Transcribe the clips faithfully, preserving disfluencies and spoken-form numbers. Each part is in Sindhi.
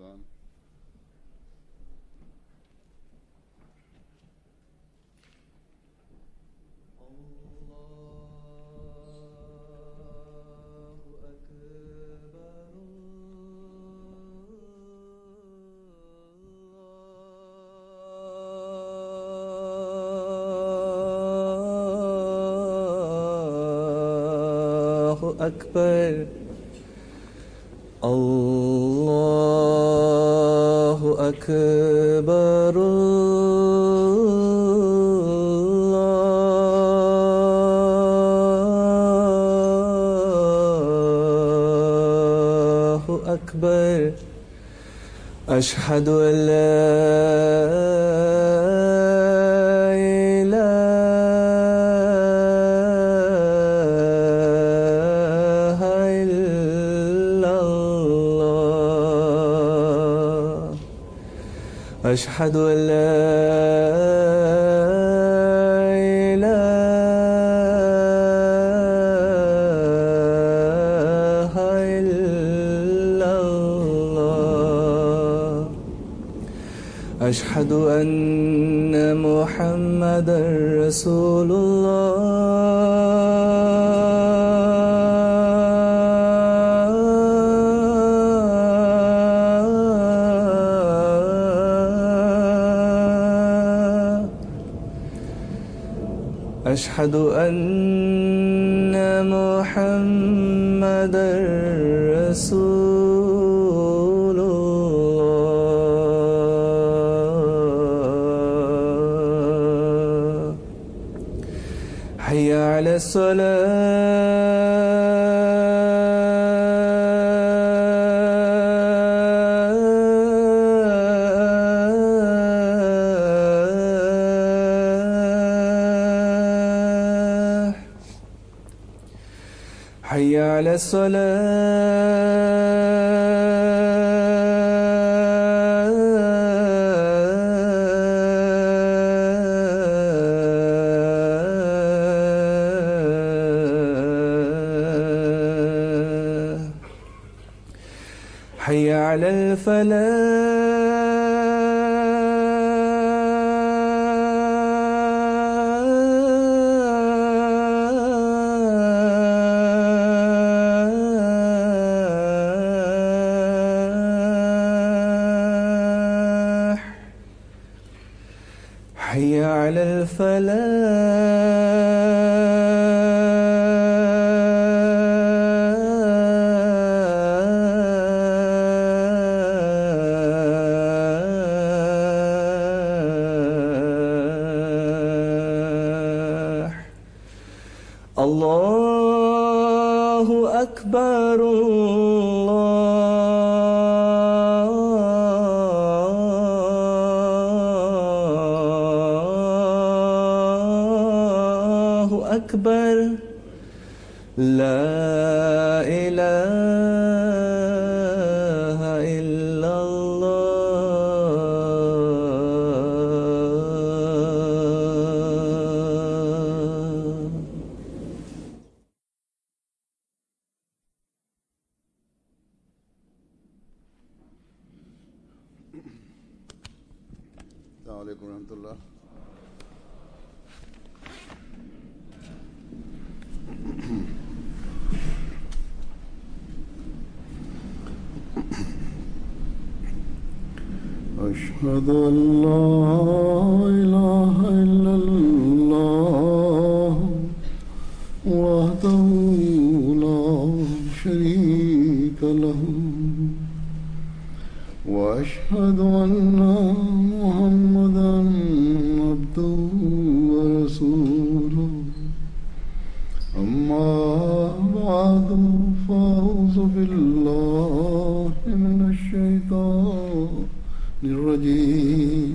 अज़ान। अकबर अल्लाहु अकबर अल्लाहु अकबर अशहदु अल्ला أشهد أن لا إله إلا الله أشهد أن محمدا رسول الله أشهد أن محمدا رسول الله حي على الصلاة حي على الصلاة حي على الفلاح حي على الفلاح الله أكبر الله أكبر لا إله إلا الله. अस्सलामु अलैकुम रहमतुल्लाह। अशहदु अल्ला इलाहा इल्लल्लाह वहदहू ला शरीक लहू व अशहदु अन्ना मुहम्मदन अब्दुहू व रसूलुहू। अम्मा बअदु फ़अऊज़ु बिल्लाहि मिनश शैतानिर रजीम।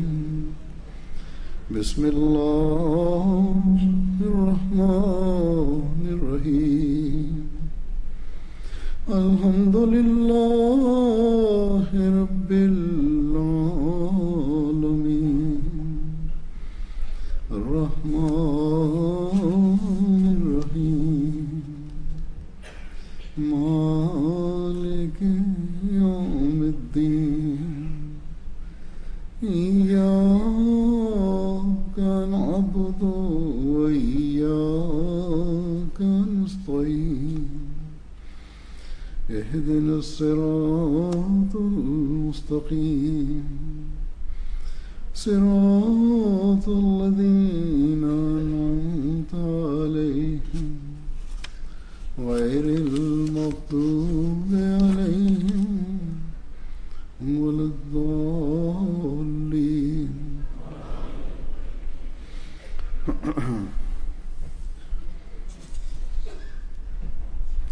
बिस्मिल्लाहिर रहमानिर रहीम। अल्हम्दुलिल्लाहि रब्बिल आलमीन अर्रहमानिर रहीम मालिक यौमिद्दीन। الصراط المستقيم صراط الذين أنعمت عليهم غير المغضوب عليهم ولا الضالين.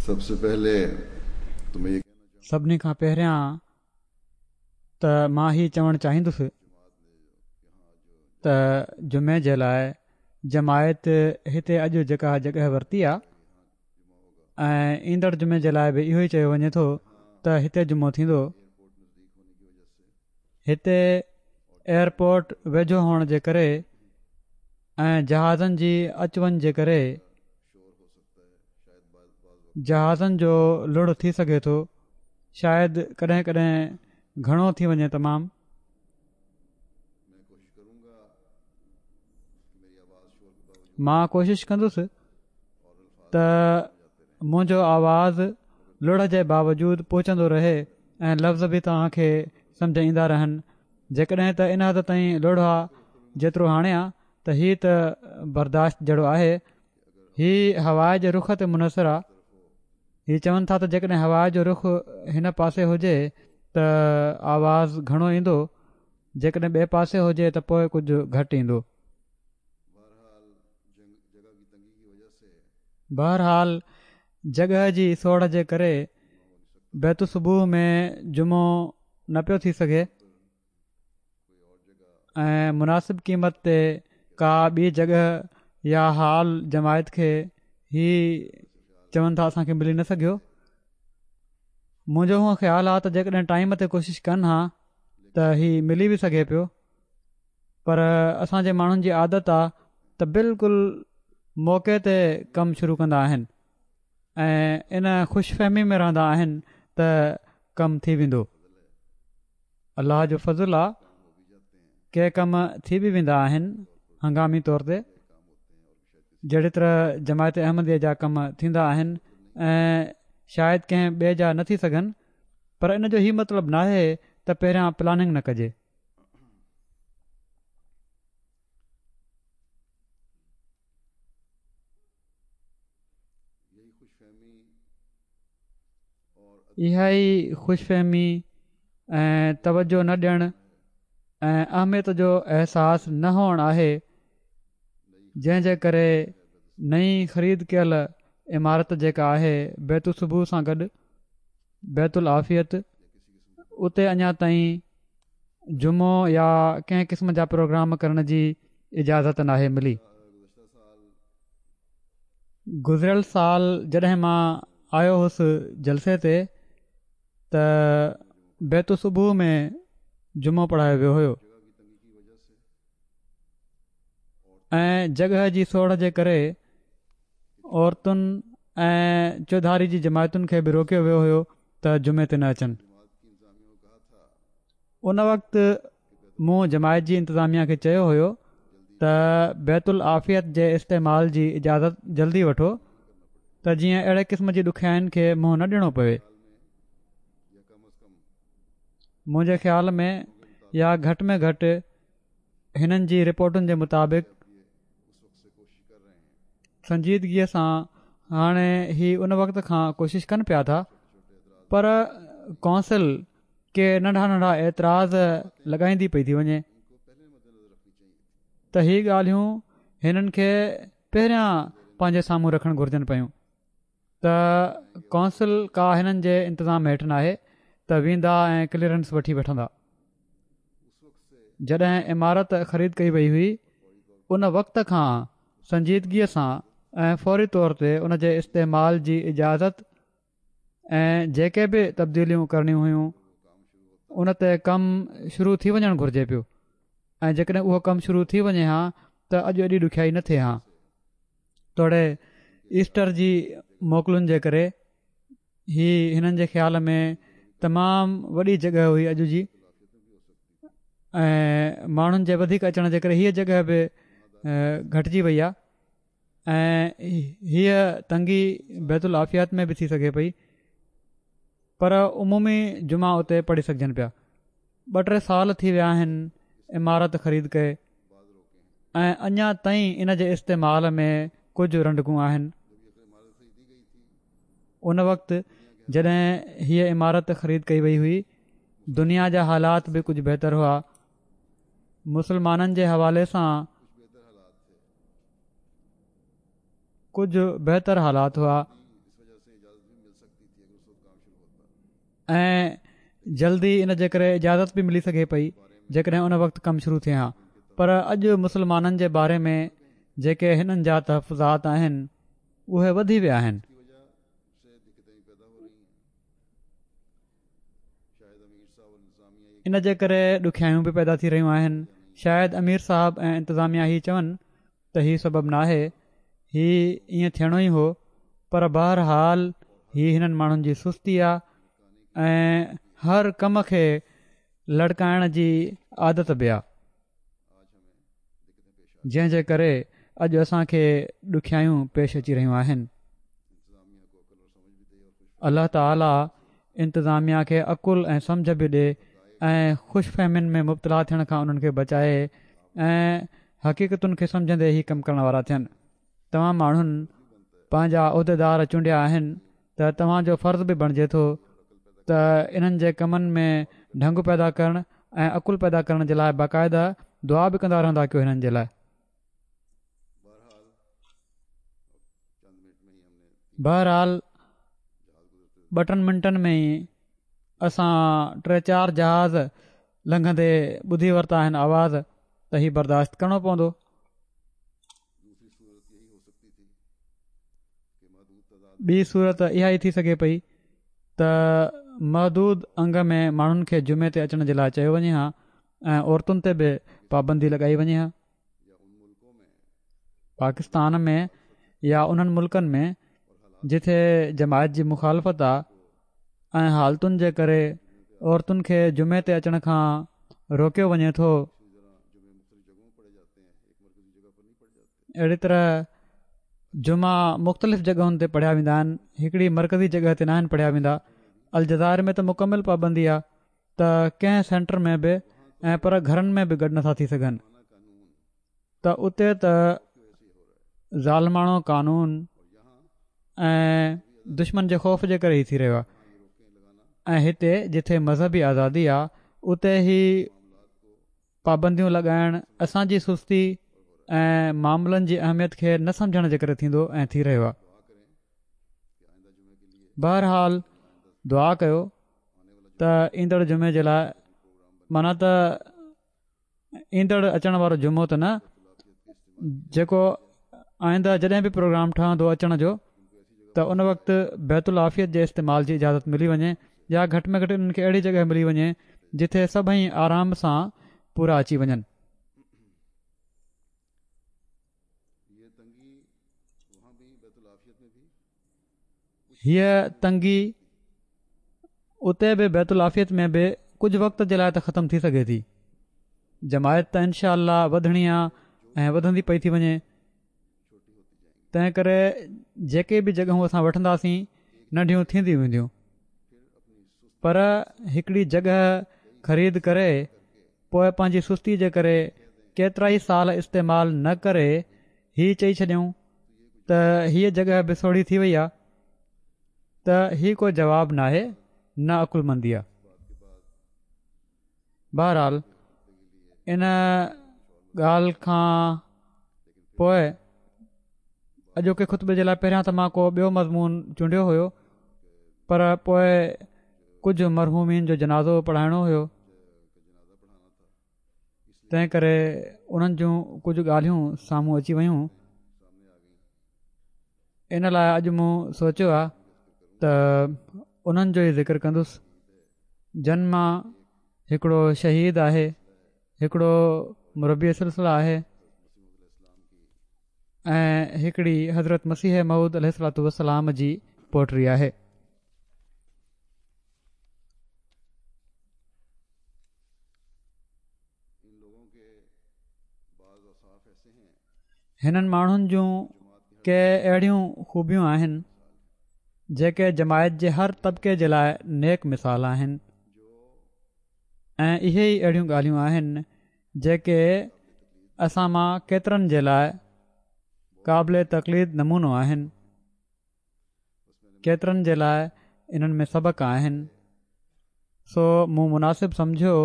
سب سے پہلے تو میں یہ سڀني کان پهريان ته مان هي چوڻ چاهيندس ته جمعي جي لاءِ جماعت هتي اڄ جيڪا جڳهه ورتي آهي ۽ ايندڙ جمعي جي لاءِ به اهو ئي چيو وڃي ٿو ته هتي جمعو ٿيندو. هتي ايئرپورٽ ويجهو هئڻ جي ڪري ۽ جهازن جي اچ وڃ جي ڪري جهازن جو لڙ ٿي سگهي ٿو، شايد ڪڏهن ڪڏهن گهڻو ٿي وڃي تمام. مان ڪوشش ڪندس ته منهنجو آواز لڙ جي باوجود پهچندو رهي ۽ لفظ به توهان کي سمجهه ايندا رهن. جيڪڏهن ته ان حد تائين لڙ آهي جيترو هاڻي آهي ته هي ته برداشت جهڙو آهي. هي هوا جي رخ تي منحصر آهي. هي چون ٿا ته جيڪڏهن هوا جو رخ هن پاسي هجي ته آواز گهڻو ايندو، جيڪڏهن ٻئي پاسي هجي ته پوءِ ڪجهه گهٽ ايندو. بهرحال جڳهه جي سوڙهه جي ڪري بيت الصبوح ۾ جمعو نه پيو ٿي سگهي ۽ مناسب قيمت تي ڪا ٻي جڳهه يا هال جماعت کي هي چون ٿا اسان کي ملي نه سگهيو. منهنجو هونئن خيال آهي ته جيڪڏهن ٽائيم تي ڪوشش ڪن ها ته هي ملي به سگهي پيو، پر اسان جي ماڻهن جي عادت آهي ته بلڪل موقعي تي ڪم شروع ڪندا آهن ۽ ان خوش فهمي ۾ رهندا آهن ته ڪم ٿي ويندو. الله جو فضل آهي ڪي ڪم ٿي به ويندا آهن هنگامي طور تي، جهڙي طرح جماعت احمديه جا ڪم ٿيندا آهن ۽ شايد ڪنهن ٻئي جا نه ٿي سگهن، پر ان جو هي مطلب ناهي ته پهريان پلاننگ نه ڪجي. اها ئي خوش فهمي ۽ توجهه نه ڏيڻ ۽ اهميت جو احساس نه هئڻ آهي جنهن جي ڪري نئين خريد ڪيل عمارت جيڪا آهي بيت الصبوح سان گڏ بيت العافيت، اتي اڃا تائين جمعو يا ڪنهن قسم جا پروگرام ڪرڻ جي اجازت ناهي ملي. گذريل سال جڏهن مان آيو هوس جلسي تي ته بيت الصبوح ۾ جمعو پڙهايو ويو هيو ۽ جڳهه جي سوڙهه جي ڪري عورتن ۽ چوڌاري جي جماعتن کي به روڪيو ويو هيو ته جمعي تي نه اچن. ان وقت مون جماعت جي انتظاميه کي چيو هيو ته بيت العافيت جي استعمال جي اجازت جلدي وٺو ته جيئن اهڙي قسم جي ڏکيائين کي منهن نه ڏيڻو پوي. منهنجي خيال ۾ يا گهٽ ۾ گهٽ هنن جي رپورٽن جي مطابق سنجيدگيءَ سان هاڻي هي ان وقت کان ڪوشش ڪن پيا ٿا، پر ڪائونسل ڪي ننڍا ننڍا اعتراض لڳائيندي پئي ٿي وڃي ته هي ڳالهيون هنن کي پهريان پنهنجي سامهون رکڻ گهرجن پيون ته ڪائونسل ڪا هنن جي انتظام هيٺ ناهي ته ويندا ۽ ڪليئرنس وٺي وٺندا. جڏهن عمارت خريد ڪئي وئي هئي ان وقت کان سنجيدگيءَ سان ۽ فوري طور تي ان جي استعمال جي اجازت ۽ جيڪي به تبديليون ڪرڻيون هيون ان تي ڪم شروع ٿي وڃڻ گهرجي پيو ۽ جيڪڏهن اهو ڪم شروع ٿي وڃي ها ته اڄ ايڏي ڏکيائي نه ٿئي ها. توڙي ايسٽر جي موڪلن جي ڪري هي هنن جي خيال ۾ تمام وڏي جڳهه هئي اڄ جي، ۽ ماڻهن جي وڌيڪ اچڻ جي ڪري هيءَ جڳهه به گهٽجي وئي آهي ۽ هيءَ تنگي بيت العافيات ۾ به ٿي سگهي پئي. پر عمومي جمعا اتي پڙهي سگهجن پيا. ٻه ٽي سال ٿي ويا آهن عمارت خريد ڪئي ۽ اڃا تائين ان جي استعمال ۾ ڪجهه رنڊڪون آهن. ان وقت جڏهن هيء عمارت خريد ڪئي وئي هئي، دنيا جا حالات به ڪجهه بهتر هئا. مسلمانن جي حوالي سان ڪجهه بهتر حالات هئا ۽ جلدي ان جي ڪري اجازت به ملي سگهي پئي جيڪڏهن ان وقت ڪم شروع ٿئي ها. پر اڄ مسلمانن جي باري ۾ جيڪي هنن جا تحفظات آهن اهي وڌي ويا آهن. ان جي ڪري ڏکيائيون به پيدا ٿي رهيون آهن. شايد امير صاحب ۽ انتظاميا هي چون ته هي سبب ناهي، هي ائين ٿيڻو ئي هو، پر بهرحال هي هنن ماڻهن جي سستي آهي ۽ هر ڪم کي لڙڪائڻ جي عادت به آهي، جنهن جي ڪري اڄ اسان کي ڏکيائيون پيش اچي رهيون آهن. الله تعاليٰ انتظاميا کي عقل ۽ سمجهه به ڏي ۽ خوش فهمين ۾ مبتلا ٿيڻ کان انهن کي بچائي ۽ حقيقتن کي سمجهندي هي ڪم ڪرڻ وارا ٿين. توهان ماڻهن پنهنجا عهديدار چونڊيا آهن ته توهان جو فرض به بڻجي ٿو ته انهن جي ڪمن ۾ ڍنگ پيدا ڪرڻ ۽ عقل پيدا ڪرڻ جي لاءِ باقاعده دعا به ڪندا رهندا ڪيو هنن جي لاءِ. بهرحال ٻه ٽن منٽن ۾ ئي اسان ٽي چار جهاز لنگهندي ٻڌي ورتا آهن آواز، ته هي برداشت ڪرڻو پوندو. ٻي صورت اها ئي ٿي سگهي پئي ته محدود انگ ۾ ماڻهن کي جمعي تي اچڻ جي لاءِ چيو وڃي ها ۽ عورتن تي به پابندي لڳائي وڃي ها. پاڪستان ۾ يا انهن ملڪن ۾ جتي جماعت جي مخالفت آهي ۽ حالتن جي ڪري عورتن کي جمعي تي اچڻ کان روڪيو وڃي ٿو، اهڙي طرح جمعا مختلف جڳهن تي پڙهيا ويندا آهن، هڪڙي مرڪزي جڳهه تي ناهن پڙهيا ويندا. الجزائر ۾ ته مڪمل پابندي آهي ته ڪنهن سينٽر ۾ به ۽ پر گهرن ۾ به گڏ نٿا ٿي سگهن، ته اتي ته ظالماڻو قانون ۽ دشمن جي خوف جي ڪري ئي ٿي رهيو آهي ۽ هتي جتي مذهبي آزادي آهي اتي هي پابنديون لڳائڻ اسان جي سستي ۽ معاملن جي اهميت کي نه سمجهڻ جي ڪري ٿيندو ۽ ٿي رهيو آهي. بهرحال دعا ڪيو ته ايندڙ جمعي جي لاءِ، معنيٰ ته ايندڙ اچڻ وارو جمعو ته نه، جيڪو آئنده جڏهن به پروگرام ٺهندو اچڻ جو، ته ان وقت بيت العافيت جي استعمال جي اجازت ملي وڃي يا گهٽ ۾ گهٽ انهن کي اهڙي جڳهه ملي وڃي جتي سڀئي آرام سان پورا اچي وڃن. هيءَ تنگي اتي به بيت العافيت ۾ به ڪجهه وقت جي لاءِ ته ختم ٿي سگهي ٿي. جماعت ته انشاء الله وڌڻي آهي ۽ وڌندي پئي ٿي وڃي، تنهن ڪري جيڪي به جڳهون اسان وٺنداسين ننڍيون ٿينديون وينديون، پر هڪڙي جڳهه خريد ڪري پوءِ پنهنجي سستي جي ڪري ڪيترا ئي سال استعمال نه ڪري هي چئي ڇڏيون ته هيءَ جڳهه به سوڙهي ٿي وئي آهي، ته هي ڪو جواب ناهي، نه عقلمندي آهي. بهرحال ان ڳالهه کان پوءِ اڄوڪي خطبي جي لاءِ پهريان ته مان ڪو ٻيو مضمون چونڊيو هيو، پر پوءِ ڪجهه مرحومين جو جنازو پڙهائڻو هيو، تنهن ڪري انهن جون ڪجهه ڳالهيون سامهون اچي ويون. ان لاءِ اڄ مون سوچيو آهي ته انهن جو ئي ذڪر ڪندس، جن مان هڪڙو شهيد آهي، هڪڙو مربي سلسله آهي ۽ هڪڙي حضرت مسيح موعود عليه الصلوة والسلام جي پوٽري آهي. هنن ماڻهن جون ڪي اهڙيون خوبيون آهن جيڪي جماعت جي هر طبقي جي لاءِ نيڪ مثال آهن ۽ اهي ئي اهڙيون ڳالهيون آهن جيڪي اسان مان ڪيترن جي لاءِ قابل تقليد نمونو آهن. ڪيترن جي لاءِ انهن ۾ سبق آهن. سو مون مناسب سمجهيو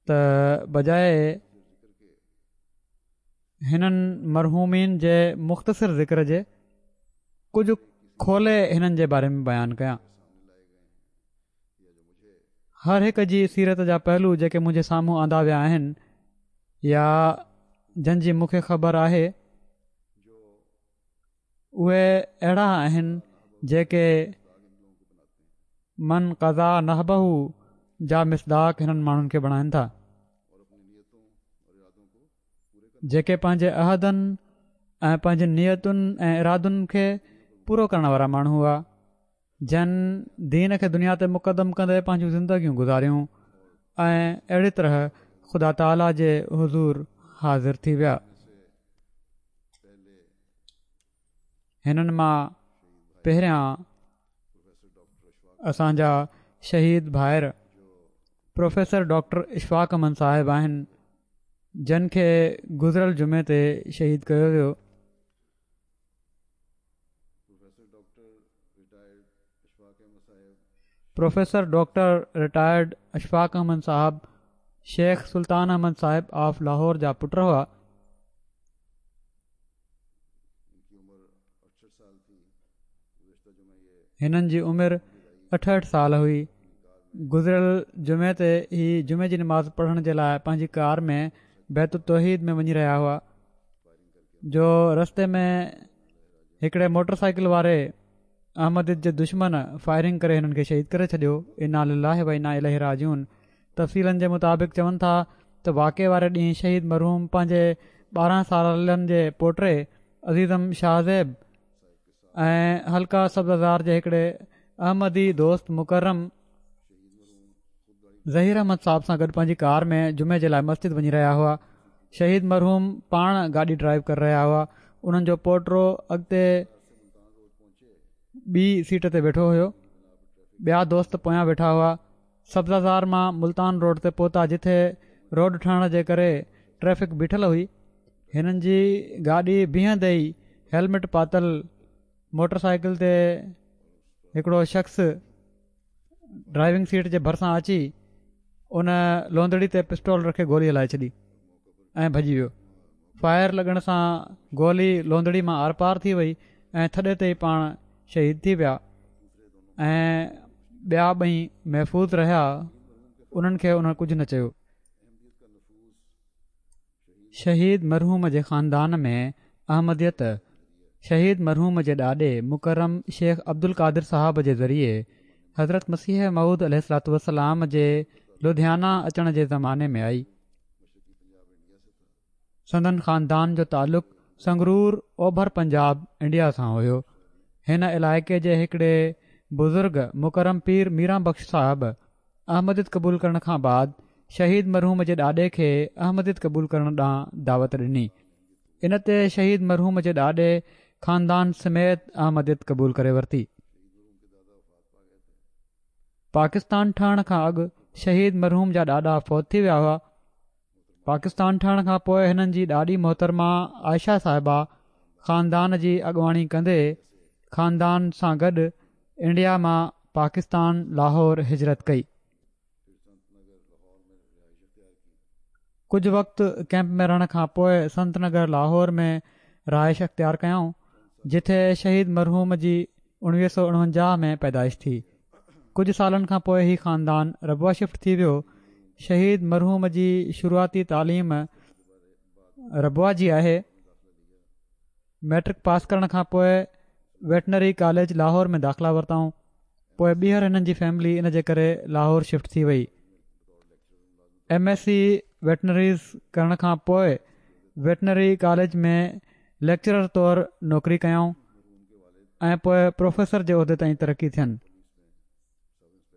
ته بجاءِ هنن مرحومين جي مختصر ذڪر جي ڪجهه کولي هنن جي باري ۾ بيان ڪيان. هر هڪ جي سيرت جا پهلو جيڪي منهنجي سامهون آندا ويا آهن يا جن جي مون کي خبر آهي اهي اهڙا آهن جيڪي من قضا نحبه جا مصداق هنن ماڻهن کي بڻائن ٿا، جيڪي پنهنجي عهدن ۽ پنهنجي نيتن ۽ ارادن کي پورو ڪرڻ وارا ماڻهو هئا، جن دين کي دنيا تي مقدم ڪندي پنهنجون زندگيون گذاريون ۽ اهڙي طرح خدا تعاليٰ جي حضور حاضر ٿي ويا. هنن مان پهريان اسان جا شهيد ڀائر پروفيسر ڊاڪٽر اشفاق احمد صاحب آهن، جن کي گذريل جمعي تي شهيد ڪيو ويو. Professor doctor retired Ashfaq Ahmed Sahib Sheikh سلطان احمد صاحب آف لاهور جا پٽ هئا. هنن جي عمر اٺهٺ سال هئي. گذريل جمعي تي هي جمعي جي نماز پڙهڻ جي لاءِ پنهنجي ڪار ۾ بيت التوحيد ۾ وڃي رهيا هئا جو رستي ۾ هڪڙي موٽر سائيڪل واري احمديت جي دشمن فائرنگ ڪري هنن کي شهيد ڪري ڇڏيو. انا لله و انا اليه راجعون. تفصيلن جي مطابق چون ٿا ته واقعي واري ڏينهن شهيد مرحوم پنهنجي ٻارهن سالن جي پوٽي عزيزم شاهزيب ۽ حلقه سبزار جي هڪڙي احمدي دوست مڪرم ظهير احمد صاحب سان گڏ پنهنجي ڪار ۾ جمعي جي لاءِ مسجد وڃي رهيا هئا. شهيد مرحوم پاڻ گاڏي ڊرائيو ڪري رهيا هئا. انهن جو پوٽرو اڳتي ٻي سيٽ تي ويٺو هيو، ٻيا دوست پويان ويٺا هئا. سبزازار مان ملتان روڊ تي پهتا جتي روڊ ٺهڻ جي ڪري ٽريفڪ بيٺل هئي. هنن جي گاڏي بيهندي ئي هيلمٽ پاتل موٽر سائيڪل تي هڪڙو شخص ڊرائيونگ سيٽ جي ڀرسان اچي ان لوندڙي تي پسٽول رکي گولي هلائي ڇڏي ۽ ڀڄي ويو. فائر لڳڻ سان گولي لوندڙي مان آرپار ٿي وئي ۽ ٿڏي تي ئي پاڻ شهيد ٿي ويا ۽ ٻيا ٻئي محفوظ رهيا. انهن کي انهن ڪجهه نه چيو. شهيد مرحوم جي خاندان ۾ احمديت شهيد مرحوم جي ڏاڏي مڪرم شيخ عبد القادر صاحب جي ذريعي حضرت مسيح موعود عليه الصلوة والسلام جي لڌيانا اچڻ جي زماني ۾ آئي. سندن خاندان جو تعلق سنگرور اوڀر پنجاب انڊيا سان هيو. هن علائقي جي هڪڙي بزرگ مڪرم پير ميران بخش صاحب احمديت قبول ڪرڻ کان بعد شهيد مرحوم جي ڏاڏي کي احمديت قبول ڪرڻ ڏانهن دعوت ڏني. ان تي شهيد مرحوم جي ڏاڏي خاندان سميت احمديت قبول ڪري ورتي. پاڪستان ٺهڻ کان اڳ شهيد مرحوم جا ڏاڏا فوت ٿي ويا هئا. پاڪستان ٺهڻ کان پوءِ هنن جي ڏاڏي محترمه عائشه صاحبه خاندان جي اڳواڻي ڪندي خاندان سان گڏ انڊيا مان پاڪستان لاهور هجرت ڪئي. ڪجهه وقت ڪيمپ ۾ رهڻ کان پوءِ سنت نگر لاهور ۾ رهائش اختيار ڪيائون، جتي شهيد مرحوم جي اڻويهه سؤ اڻونجاهه ۾ پيدائش ٿي. ڪجهه سالن کان پوءِ هي خاندان ربوه شفٽ ٿي ويو. شهيد مرحوم جي شروعاتي تعليم ربوه جي آهي. ميٽرڪ پاس ڪرڻ کان پوءِ ويٽنري ڪاليج لاهور ۾ داخلا ورتائون. پوءِ ٻيهر هنن جي فيملي ان جي ڪري لاهور شفٽ ٿي وئي. ايم ايس سي ويٽنريز ڪرڻ کان پوءِ ويٽنري ڪاليج ۾ ليڪچرر طور نوڪري ڪيائون ۽ پوءِ پروفيسر جي عهدي تائين ترقي ٿين.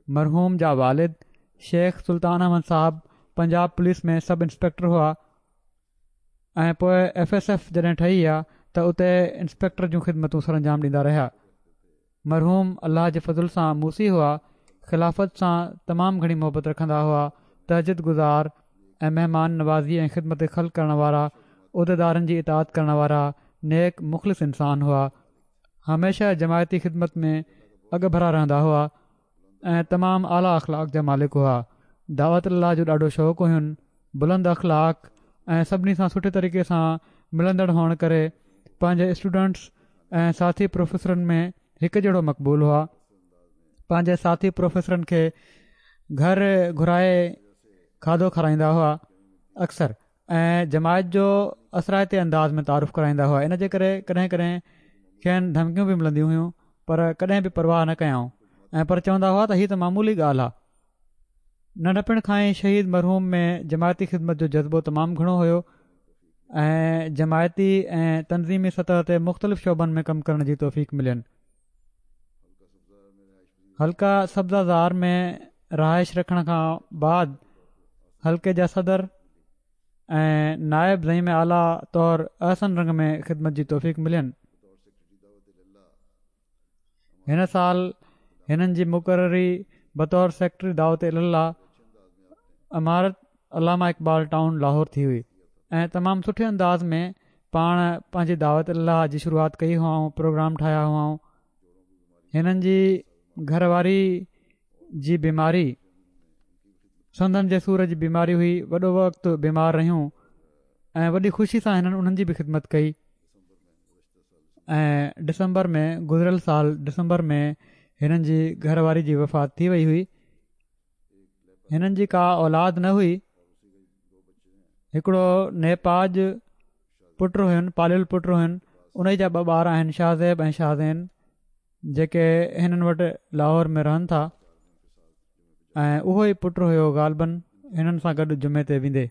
مرحوم جا والد شيخ سلطان احمد صاحب پنجاب پوليس ۾ سب انسپيڪٽر هئا ۽ پوءِ ايف ايس ايف جڏهن ٺهي آ ته اتي انسپيڪٽر جون خدمتون سر انجام ڏيندا رهيا. مرحوم الله جي فضل سان موصي هئا. خلافت سان تمام گهڻي محبت رکندا هئا. تهجد گذار ۽ مهمان نوازي ۽ خدمت خلق ڪرڻ وارا، عهديدارن جي اطاعت ڪرڻ وارا، نيڪ مخلص انسان هئا. هميشه جماعتي خدمت ۾ اڳڀرا رهندا هئا ۽ تمام اعليٰ اخلاق جا مالڪ هئا. دعوت الله جو ڏاڍو شوق هين. بلند اخلاق ۽ سڀني سان سٺي طريقي سان ملندڙ هئڻ ڪري پنهنجي اسٽوڊنٽس ۽ ساٿي پروفيسرن ۾ هڪ جهڙو مقبول هئا. پنهنجي ساٿي پروفيسرن کي گهر گهرائي کاڌو کارائيندا هئا اڪثر ۽ جماعت جو اثرائتي انداز ۾ تعارف ڪرائيندا هئا. ان جي ڪري ڪڏهن ڪڏهن کين ڌمڪيون به ملنديون هيون، پر ڪڏهن به پرواهه نه ڪيائون ۽ پر چوندا هئا ته هي ته معمولي ڳالهه آهي. ننڍپڻ کان ئي شهيد مرحوم ۾ جماعتي خدمت جو جذبو تمام گهڻو هيو ۽ جماعتي ۽ تنظيمي سطح تي مختلف شعبن ۾ ڪم ڪرڻ جي توفيق ملين. حلقه سبزه زار ۾ رهائش رکڻ کان بعد حلقي جا صدر ۽ نائب زعيم اعليٰ طور احسن رنگ ۾ خدمت جي توفيق ملين. هن سال هنن جي مقرري بطور سيڪريٽري دعوت الي الله عمارت علامه اقبال ٽائون لاهور ٿي هئي ۽ تمام سٺي انداز ۾ پاڻ پنهنجي دعوت الله جي شروعات ڪئي هئائون، پروگرام ٺاهيا هئائون. هنن جي گهر واري جي بيماري سنڌن جي سور جي بيماري هئي. وڏو وقت بيمار رهيون ۽ وڏي خوشي سان هنن انهن جي به خدمت ڪئي ۽ ڊسمبر ۾ گذريل سال ڊسمبر ۾ هنن جي گهر واري جي وفات ٿي وئي هئي. هنن جي ڪا اولاد نه هئي. هڪڙو نيپاج پٽ هين، پاليل پٽ هين. ان جا ٻه ٻار آهن، شاهزيب ۽ شاهزين، جيڪي هنن وٽ لاهور ۾ رهن ٿا ۽ اهو ئي پٽ هيو غالباً هنن سان گڏ جمعي تي ويندي.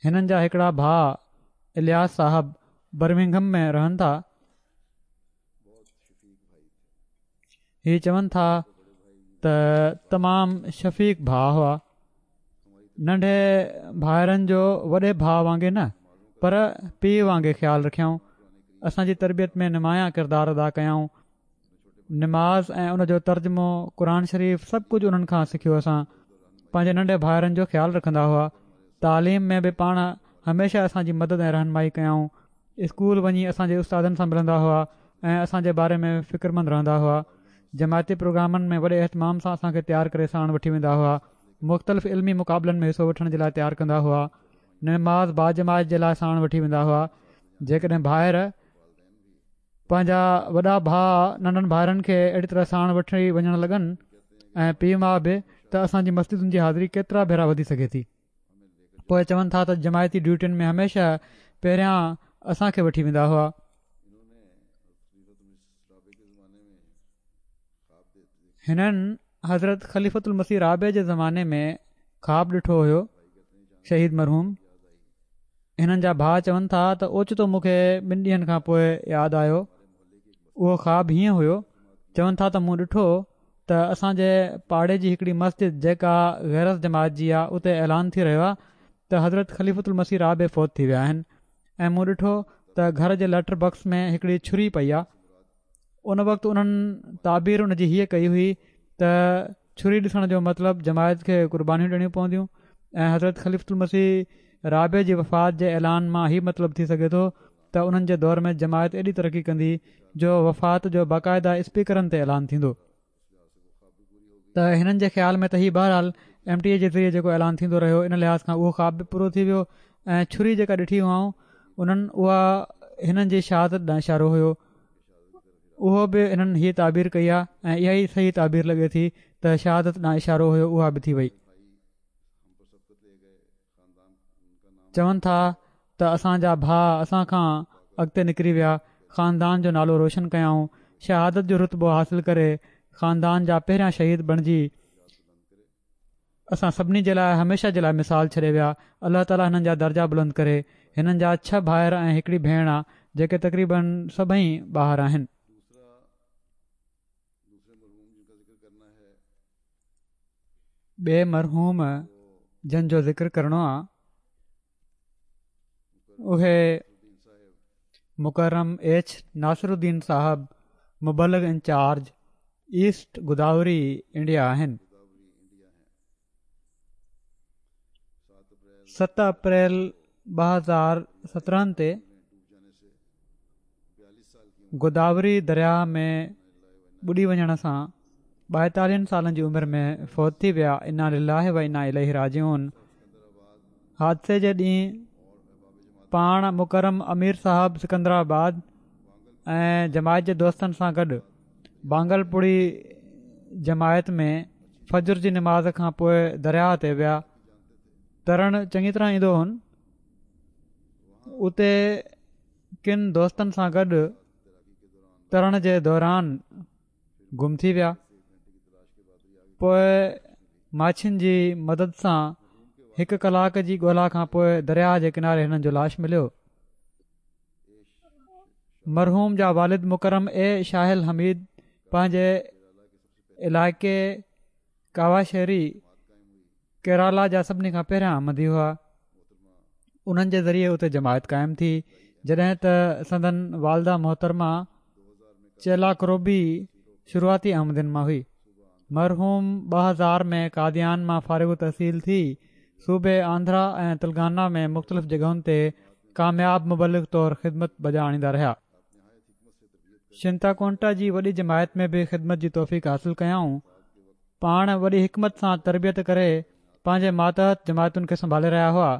هنن جا هڪڙا ڀاء الياس صاحب برمنگهم ۾ رهن ٿا. هي چون ٿا ته تمام شفيق ڀاء هئا. ننڍي ڀائرن جو وڏي ڀاء وانگي نه پر پيءُ وانگي خيال رکيائون. اسان جي تربيت ۾ نمايان ڪردار ادا ڪيائون. نماز ۽ ان جو ترجمو، قرآن شريف سڀ ڪجهه انهن کان سکيو. اسان پنهنجي ننڍي ڀائرن جو خيال رکندا هئا. تعليم ۾ به پاڻ هميشه اسان جي مدد ۽ رهنمائي ڪيائون. اسڪول وڃي اسان جي استادن سان ملندا هئا ۽ اسان جي باري ۾ فڪرمند رهندا هئا. جماعتي پروگرامن ۾ وڏي اهتمام سان اسان کي تيار ڪري ساڻ وٺي ويندا هئا. مختلف علمي مقابلن ۾ حصو وٺڻ جي لاءِ تيار ڪندا هئا. نماز باجماعت جي لاءِ ساڻ وٺي ويندا هئا. جيڪڏهن ڀائر پنهنجا وڏا ڀاءُ ننڍن ڀائرن کي اهڙي طرح ساڻ وٺي وڃڻ لڳن ۽ پيءُ ماءُ به، ته اسان جي مسجدن جي حاضري ڪيترا ڀيرا وڌي سگهي ٿي. پوءِ چون ٿا ته جماعتي ڊيوٽين ۾ هميشه پهريان اسان کي وٺي ويندا هئا. هنن حضرت خليفة المسيح رابع جي زماني ۾ خواب ڏٺو هيو. شهيد مرحوم هنن جا ڀاءُ چون ٿا ته اوچتو مون کي ٻن ڏينهن کان پوءِ ياد آيو. اهو خواب هيئن هيو. چون ٿا ته مون ڏٺو ته اسان جي پاڙي جي هڪڙي مسجد جيڪا غير از جماعت جي آهي، اتي اعلان ٿي رهيو آهي ته حضرت خليفة المسيح رابع فوت ٿي ويا آهن ۽ مون ڏٺو ته گهر جي ليٽر باڪس ۾ هڪڙي ڇري پئي آهي. ان وقت انهن تعبير ان جي هيءَ ڪئي هئي ته ڇري ڏسڻ جو مطلب جماعت کي قربانيون ڏيڻيون پونديون ۽ حضرت خليفة المسيح رابع جي وفات جي اعلان مان هي مطلب ٿي سگهي ٿو ته انهن جي دور ۾ جماعت ايڏي ترقي ڪندي جو وفات جو باقاعده اسپيڪرن تي اعلان ٿيندو. ته هنن جي خيال ۾ ته هي بهرحال ايم ٽي اي جي ذريعي جيڪو اعلان ٿيندو رهيو ان لحاظ کان اهو خواب به پورو ٿي ويو ۽ ڇري جيڪا ڏٺي هئائون انهن اها هنن جي شهادت ڏانهن اشارو هيو. اهو به هنن هيءَ تعبير ڪئي آهي ۽ اها ئي صحيح تعبير لڳي ٿي ته شهادت ڏانهن اشارو هيو، اها به ٿي وئي. چون ٿا ته اسان جا ڀاءُ اسان کان اڳتي نڪري ويا، خاندان جو نالو روشن ڪيائون، شهادت جو رتبو حاصل ڪري خاندان جا پهريان شهيد بڻجي اسان سڀني جي لاءِ هميشه جي لاءِ مثال ڇڏي ويا. الله تعاليٰ هنن جا درجا بلند ڪري. هنن جا ڇهه ڀائر ۽ هڪڙي ڀيڻ آهي جيڪي تقريبن سڀئي ٻاهر آهن. ٻئي مرحوم جن جو ذڪر ڪرڻو آهي اهي مڪرم ايڇ ناصرالدين صاحب مبلغ انچارج ايسٽ گوداوري انڊيا آهن. ست اپريل ٻه هزار سترهن تي گوداوري درياهه ۾ ٻڏي وڃڻ سان ٻائيتاليهن سالن جي عمر ۾ فوت ٿي ويا. انا لله و انا اليه راجعون. حادثي جي ڏينهن پاڻ مڪرم امير صاحب سڪندرآباد ۽ جماعت جي دوستن سان گڏ بانگلپوڙي جماعت ۾ فجر جي نماز کان پوءِ درياهه تي ويا. ترڻ چڱي طرح ايندو هن. اتي ڪن دوستن سان گڏ ترڻ جي دوران گم ٿي ويا. پوءِ ماڇين جي مدد سان هڪ ڪلاڪ جي ڳولا کان پوءِ درياهه جي ڪناري هنن جو لاش مليو. مرحوم جا والد مڪرم اي شاهل حميد پنهنجي علائقي ڪاواشيري ڪيرالا جا سڀني کان پهريان احمدي هئا. انهن جي ذريعي اتي جماعت قائم ٿي. جڏهن ته سندن والده محترمه چيلا ڪروبي شروعاتي احمدين مان هئي. مرحوم ٻه هزار ۾ قاديان مان فارغ التحصيل ٿي صوبي آنڌرا ۽ تلنگانا ۾ مختلف جڳهن تي ڪامياب مبلغ طور خدمت بجا آڻيندا رهيا. شنتاڪونٽا جي وڏي جماعت ۾ به خدمت جي توفيق حاصل ڪيائون. پاڻ وڏي حڪمت سان تربيت ڪري پنهنجي ماتحت جماعتن کي سنڀالي رهيا هئا.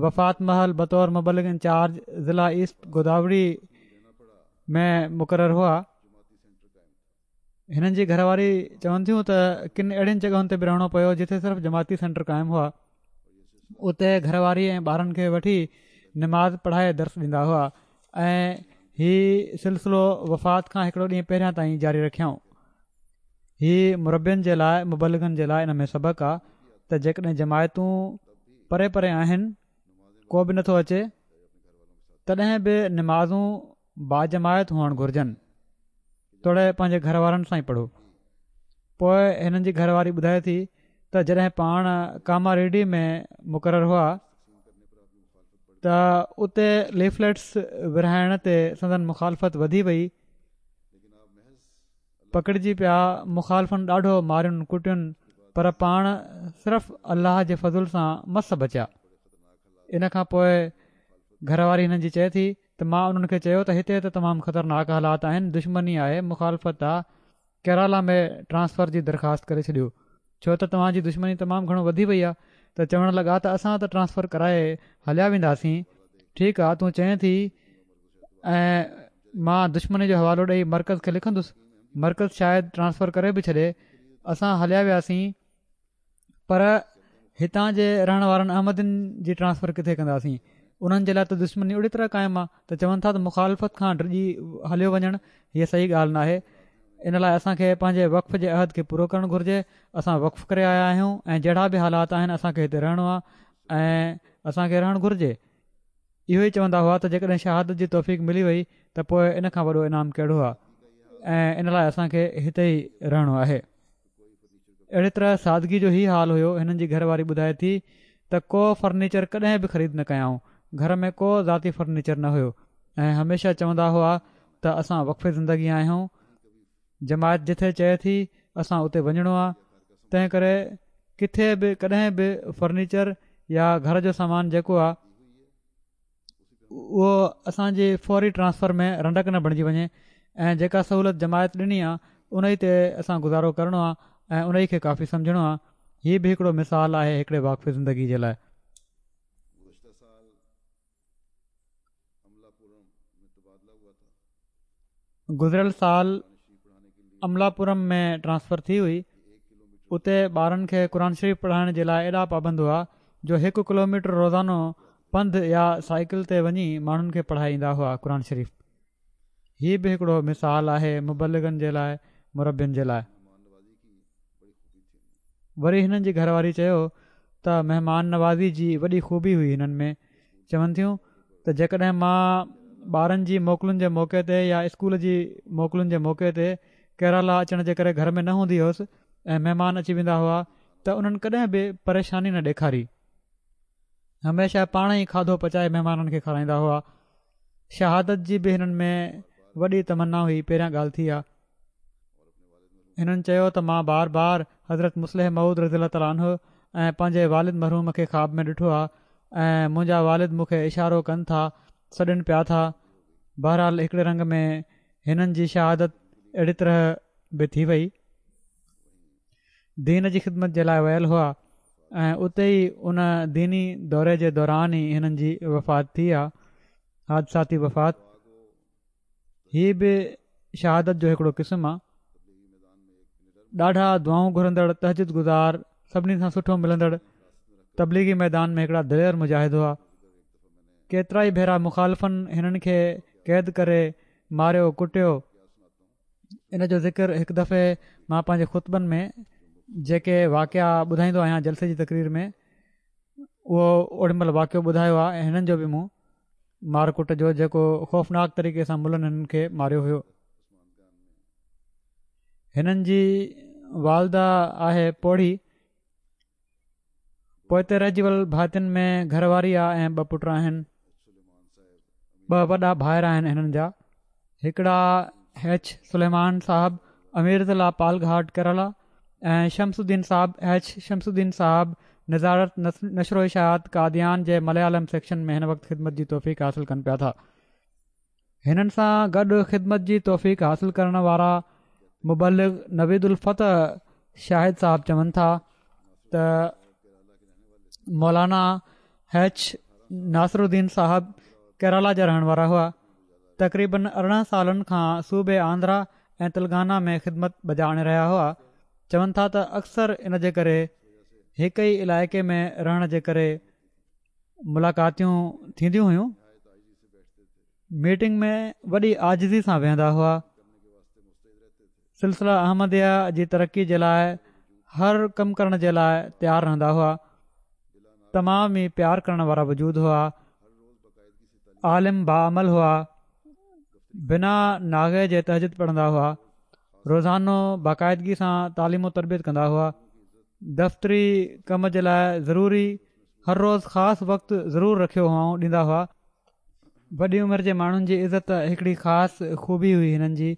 وفات مهل بطور مبلغ انچارج ضلع ايسٽ گوداوري ۾ مقرر هئا. هنن جي گهر واري چون ٿيون ته ڪن اهڙين جڳهن تي به رهڻو پيو جتي صرف جماعتي سينٽر قائم هئا. اتي گهر واري ۽ ٻارن کي وٺي نماز پڙهائي درس ڏيندا هئا ۽ هي سلسلو وفات کان هڪڙو ڏينهن پهريان تائين جاري رکيائون. هي مربين جي لاءِ مبلغن جي لاءِ ان ۾ سبق آهي ته جيڪڏهن جماعتون پري پري آهن، ڪو به نٿو اچي، تڏهن به نمازون باجماعت هئڻ گهرجن، توڙي پنهنجي گهر وارن سان ئي پڙهو. پوءِ هنن جي گهر واري ٻڌائي ٿي ته جڏهن پاڻ ڪاما ريڊي ۾ مقرر هئا ته اتي ليفليٽس ورهائڻ تي سندن مخالفت وڌي وئي. پڪڙجي پيا. مخالفن ڏاڍو مارين ڪٽين، پر پاڻ صرف الله جي فضل سان مس بچيا. ان کان پوءِ گهر واري هنن جي چئي ٿي ته مان انهن کي چيو ته هتي ته تمام خطرناڪ حالات آهن، دشمني آهي، مخالفت آهي، ڪيرالا ۾ ٽرانسفر جي درخواست ڪري ڇڏيو، ڇو ته توهان جي دشمني تمام گهڻو وڌي وئي آهي. ته چوڻ لڳا ته اسان ته ٽرانسفر ڪرائي هليا وينداسين. ٺيڪ آهي، تون چئين ٿي ۽ مان دشمني جو حوالو ڏيئي مرڪز کي لکندس، مرڪز شايد ٽرانسفر ڪري به ڇڏي. اسان هليا وياسين، پر هتان جي رهڻ وارن احمدين جي ٽرانسفر ڪٿي ڪنداسين؟ انهن جي لاءِ ته دشمني اهڙي طرح قائم آهي. ته چون ٿا ته مخالفت کان ڊڄي هليو وڃڻ هيءَ صحيح ڳالهه ناهي. ان لاءِ اسان کي پنهنجي وقف جي عهد کي پورو ڪرڻ گهرجي. اسان وقف ڪري آيا آهيون ۽ جهڙا به حالات آهن اسان کي هتي رهڻو آهي ۽ اسان کي رهڻ گهرجي. اهو ئي چوندا هئا ته جيڪڏهن شهادت جي توفيق ملي وئي ته پوءِ ان کان وڏو انعام ڪهڙو آهي ۽ ان لاءِ اسان کي هتي ئي رهڻو آهي. اهڙي طرح سادگي جو هي حال هيو. هنن جي گهر واري ٻڌائي ٿي ته ڪو فرنيچر ڪڏهن به خريد نه ڪيائون. گهر ۾ ڪو ذاتي فرنيچر نه هيو ۽ هميشه چوندا هئا ته اسان وقف زندگي آهيون، جماعت جٿي چئي ٿي اسان اتي وڃڻو آهي، تنهن ڪري ڪٿي به ڪڏهن به فرنيچر يا گهر جو سامان جيڪو آهي اهو اسان جي فوري ٽرانسفر ۾ رنڊڪ نه بڻجي وڃي ۽ جيڪا سهولت جماعت ڏني آهي ان ئي تي اسان گذارو ڪرڻو آهي ۽ ان ئي کي ڪافي سمجهڻو آهي. هي به هڪڙو مثال آهي هڪڙي واقف زندگي جي لاءِ. گذريل سال املاپورم ۾ ٽرانسفر ٿي هئي. اتي ٻارن کي قرآن شريف پڙهائڻ جي لاءِ ايڏا پابند هئا جو هڪ ڪلوميٽر روزانو پنڌ يا سائيڪل تي وڃي ماڻهن کي پڙهائي ايندا هئا قرآن شريف. هي به هڪڙو مثال آهي مبلغن جي لاءِ، مربين جي لاءِ. وري هنن جي گهر واري چيو ته مهمان نوازي جي وڏي خوبي هئي هنن ۾. چون ٿيون ته جيڪڏهن مان ٻارن جي موڪلن جي موقعي تي يا اسڪول جي موڪلن جي موقعي تي ڪيرالا اچڻ جي ڪري گهر ۾ نه هوندي هئس ۽ مهمان اچي ويندا هئا ته انهن ڪڏهن به پريشاني نه ڏيکاري. هميشه پاڻ ئي کاڌو پچائي مهمانن کي کارائيندا هئا. شهادت جي به هنن ۾ وڏي تمنا هئي. پهريان ڳالهه ٿي آ. هنن چيو ته مان بار بار حضرت مصلح موعود رضي الله تعالٰي عنه ۽ پنهنجي والد مرحوم کي خواب ۾ ڏٺو آ ۽ منهنجا والد مون کي اشارو ڪن ٿا، سڏن پيا ٿا. بهرحال هڪڙي رنگ ۾ هنن جي شهادت اهڙي طرح به ٿي وئي. دين جي خدمت جي لاءِ ويل هئا ۽ اتي ئي ان ديني دوري جي دوران ئي هنن جي وفات ٿي آ، حادثاتي وفات. هي به شهادت جو هڪڙو قسم آ. ڏاڍا دعائون گهرندڙ، تهجد گذار، سڀني سان سٺو ملندڙ، تبليغي ميدان ۾ هڪڙا دلير مجاهد هئا. ڪيترائي ڀيرا مخالفن هنن کي قيد ڪري ماريو ڪٽيو. ان جو ذڪر هڪ دفعي مان پنهنجي خطبن ۾ جيڪي واقعا ٻڌائيندو آهيان جلسي جي تقرير ۾ اهو اوڏي مهل واقعو ٻڌايو آهي ۽ هنن جو به مون مار ڪٽ جو جيڪو خوفناڪ طريقي سان ملن هنن کي ماريو هيو. هنن جي والده آهي پوڙهي. پوئتي رهجي ويل ڀاتين ۾ گهر واري آ ۽ ٻه پٽ آهن. ٻه وڏا ڀائر آهن هنن جا، هڪڙا ايڇ سليمان صاحب امير ضلع پالگهاٽ ڪيرالا ۽ شمس الدين صاحب ايڇ شمس الدين صاحب نظارت نشر و اشاعت قاديان جي مليالم سيڪشن ۾ هن وقت خدمت جي توفيق حاصل ڪن پيا ٿا. هنن سان گڏ خدمت جي توفيق حاصل ڪرڻ وارا مبلغ نويد الفتح شاهد صاحب چون ٿا ته مولانا ايڇ ناصر الدين صاحب ڪيرالا جا رهڻ وارا هئا. تقريبن ارڙهن سالن کان صوبي آندرا ۽ تلنگانا ۾ خدمت بجا آڻي رهيا هئا. چون ٿا ته اڪثر ان جي ڪري هڪ ئي علائقي ۾ رهڻ جي ڪري ملاقاتيون ٿينديون هيون. ميٽنگ ۾ وڏي عاجزي سان ويهندا هئا. سلسله احمديه جي ترقي جي لاءِ هر ڪم ڪرڻ جي لاءِ تيار رهندا هئا. تمام ئي پيار ڪرڻ وارا وجود هئا. عالم باعمل هئا. بنا ناغي جي تهجد پڙهندا هئا. روزانو باقاعدگي سان تعليم و تربيت ڪندا هئا. دفتري ڪم جي لاءِ ضروري هر روز خاص وقت ضرور رکيو هئائون ڏيندا هئا. وڏي عمر جي ماڻهن جي عزت هڪڙي خاص خوبي هئي هنن جي.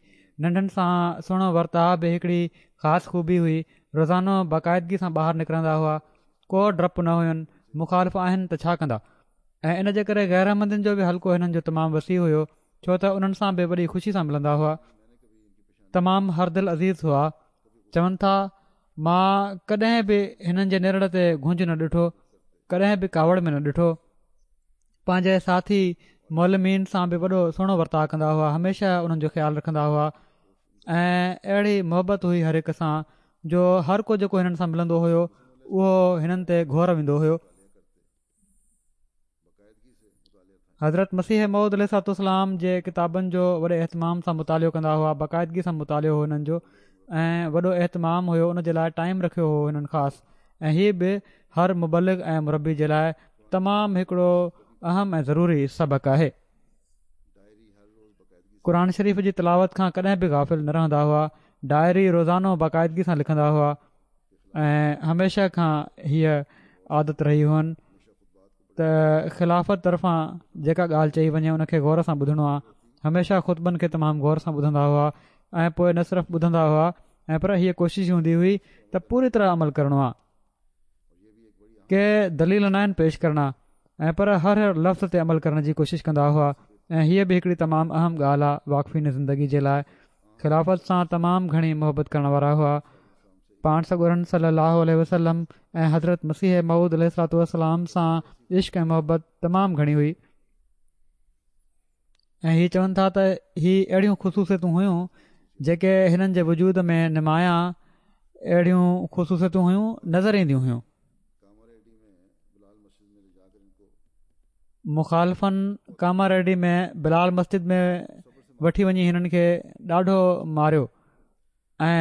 ننڍن سان سهڻو ورتاءُ به هڪڙي خاص خوبي هئي. روزانو باقاعدگي سان ٻاهر نڪرندا هئا. ڪو ڊپ نه هين، مخالف آهن ته ڇا ڪندا. ۽ ان جي ڪري غير احمدين جو به حلقو هنن جو تمام وسيع هيو، ڇو ته انهن سان به وڏي خوشي سان ملندا هئا. تمام هر دل عزيز هئا. چون ٿا مان ڪڏهن به هنن جي نرڙ تي گهنج نه ڏٺو، ڪڏهن به ڪاوڙ ۾ نه ڏٺو. پنهنجي ساٿي معلمين سان به وڏو سهڻو ورتاءُ ڪندا هئا. هميشه انهن جو خيال رکندا هئا ۽ اهڙي محبت هئي هر هڪ سان جو هر ڪو جيڪو هنن سان ملندو هيو اهو هنن تي گهور ويندو هيو. حضرت مسيح موعود عليه الصلوة والسلام جي ڪتابن جو وڏي اهتمام سان مطالعو ڪندا هئا. باقاعدگي سان مطالعو هو هنن جو ۽ وڏو اهتمام هيو. ان جي لاءِ ٽائيم رکيو هو هنن خاص. ۽ هي به هر مبلغ ۽ مربي جي لاءِ تمام هڪڙو اهم ۽ ضروري سبق آهي. قرآن شريف جي تلاوت کان ڪڏهن به غافل نه رهندا هئا. ڊائري روزانو باقاعدگي سان لکندا هئا ۽ هميشه کان هيءَ عادت رهي هئن ته خلافت طرفان جيڪا ڳالهه چئي وڃي ان کي غور سان ٻڌڻو آهي. هميشه خطبن کي تمام غور سان ٻڌندا هئا ۽ پوءِ نه صرف ٻڌندا هئا ۽ پر هيءَ ڪوشش هوندي هئي ته پوري طرح عمل ڪرڻو آهي. ڪي دليل نه آهن پيش ڪرڻا ۽ پر هر هر لفظ تي عمل ڪرڻ جي ڪوشش ڪندا هئا. ۽ هيءَ به هڪڙي تمام اهم ڳالهه آهي واقفين زندگي جي لاءِ. خلافت سان تمام گهڻي محبت ڪرڻ وارا هئا. پاڻ سڳورن صلي الله عليه وسلم ۽ حضرت مسيح موعود عليه الصلوة والسلام سان عشق ۽ محبت تمام گهڻي هئي. ۽ هي چون ٿا ته هي اهڙيون خصوصيتون هيون جيڪي هنن جي وجود ۾ نمايان اهڙيون خصوصيتون هيون نظر اينديون هيون. مخالفن ڪاما ريڊي ۾ بلال مسجد ۾ وٺي وڃي هنن کي ڏاڍو ماريو ۽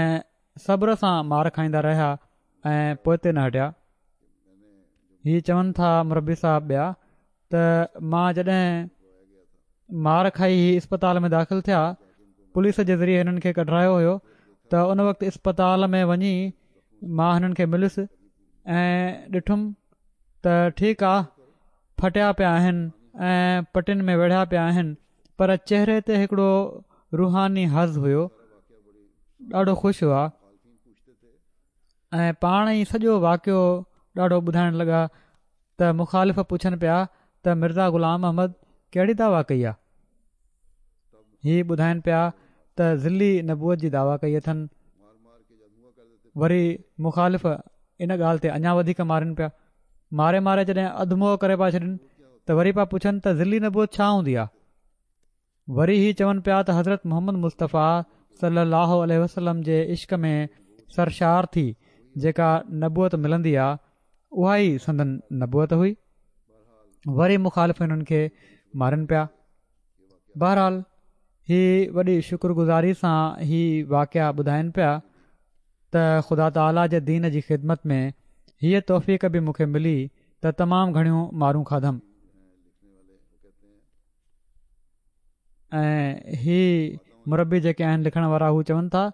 صبر سان مار کائيندا رهيا ۽ پوئتي نه هٽيا. هي چون ٿا مربي صاحب ٻيا ته مان جڏهن مار کائي هي اسپتال ۾ داخل ٿيا، پوليس جي ذريعي هنن کي ڪڍرايو هيو ته ان وقت اسپتال ۾ وڃي مان هنن کي مليس ۽ ڏٺم ته ٺيڪ آ، ڦٽيا پيا آهن ۽ پٽين ۾ ويڙهيا پيا آهن پر چهري تي هڪڙو روحاني حظ هيو، ڏاڍو خوش هئا ۽ پاڻ ئي سڄو واقعو ڏاڍو ٻڌائڻ لڳا ته مخالف پڇن پيا ته مرزا غلام احمد ڪهڙي دعويٰ ڪئي آهي؟ هي ٻڌائن پيا ته ظلي نبوت جي دعويٰ ڪئي اٿن. وري مخالف ان ڳالهه تي اڃا وڌيڪ مارن پيا، ماري ماري جڏهن اڌ موئو ڪري پيا ڇڏن ته وري پيا پڇن ته ظلي نبوت ڇا هوندي آهي؟ وري هي چون پيا ته حضرت محمد مصطفيٰ صلي الله عليه وسلم جي عشق ۾ سرشار ٿي جيڪا نبوت ملندي آهي اها ئي سندن نبوت هئي. وري مخالف هنن کي مارن پيا. بهرحال هي وڏي شڪر گذاري سان هي واقعا ٻڌائن پيا ته خدا تعاليٰ جي دين جي خدمت ۾ هيءَ توفيق به مون کي ملي ته تمام گهڻيون مارون کاڌم. ۽ هي مربي جيڪي آهن لکڻ وارا هو چون ٿا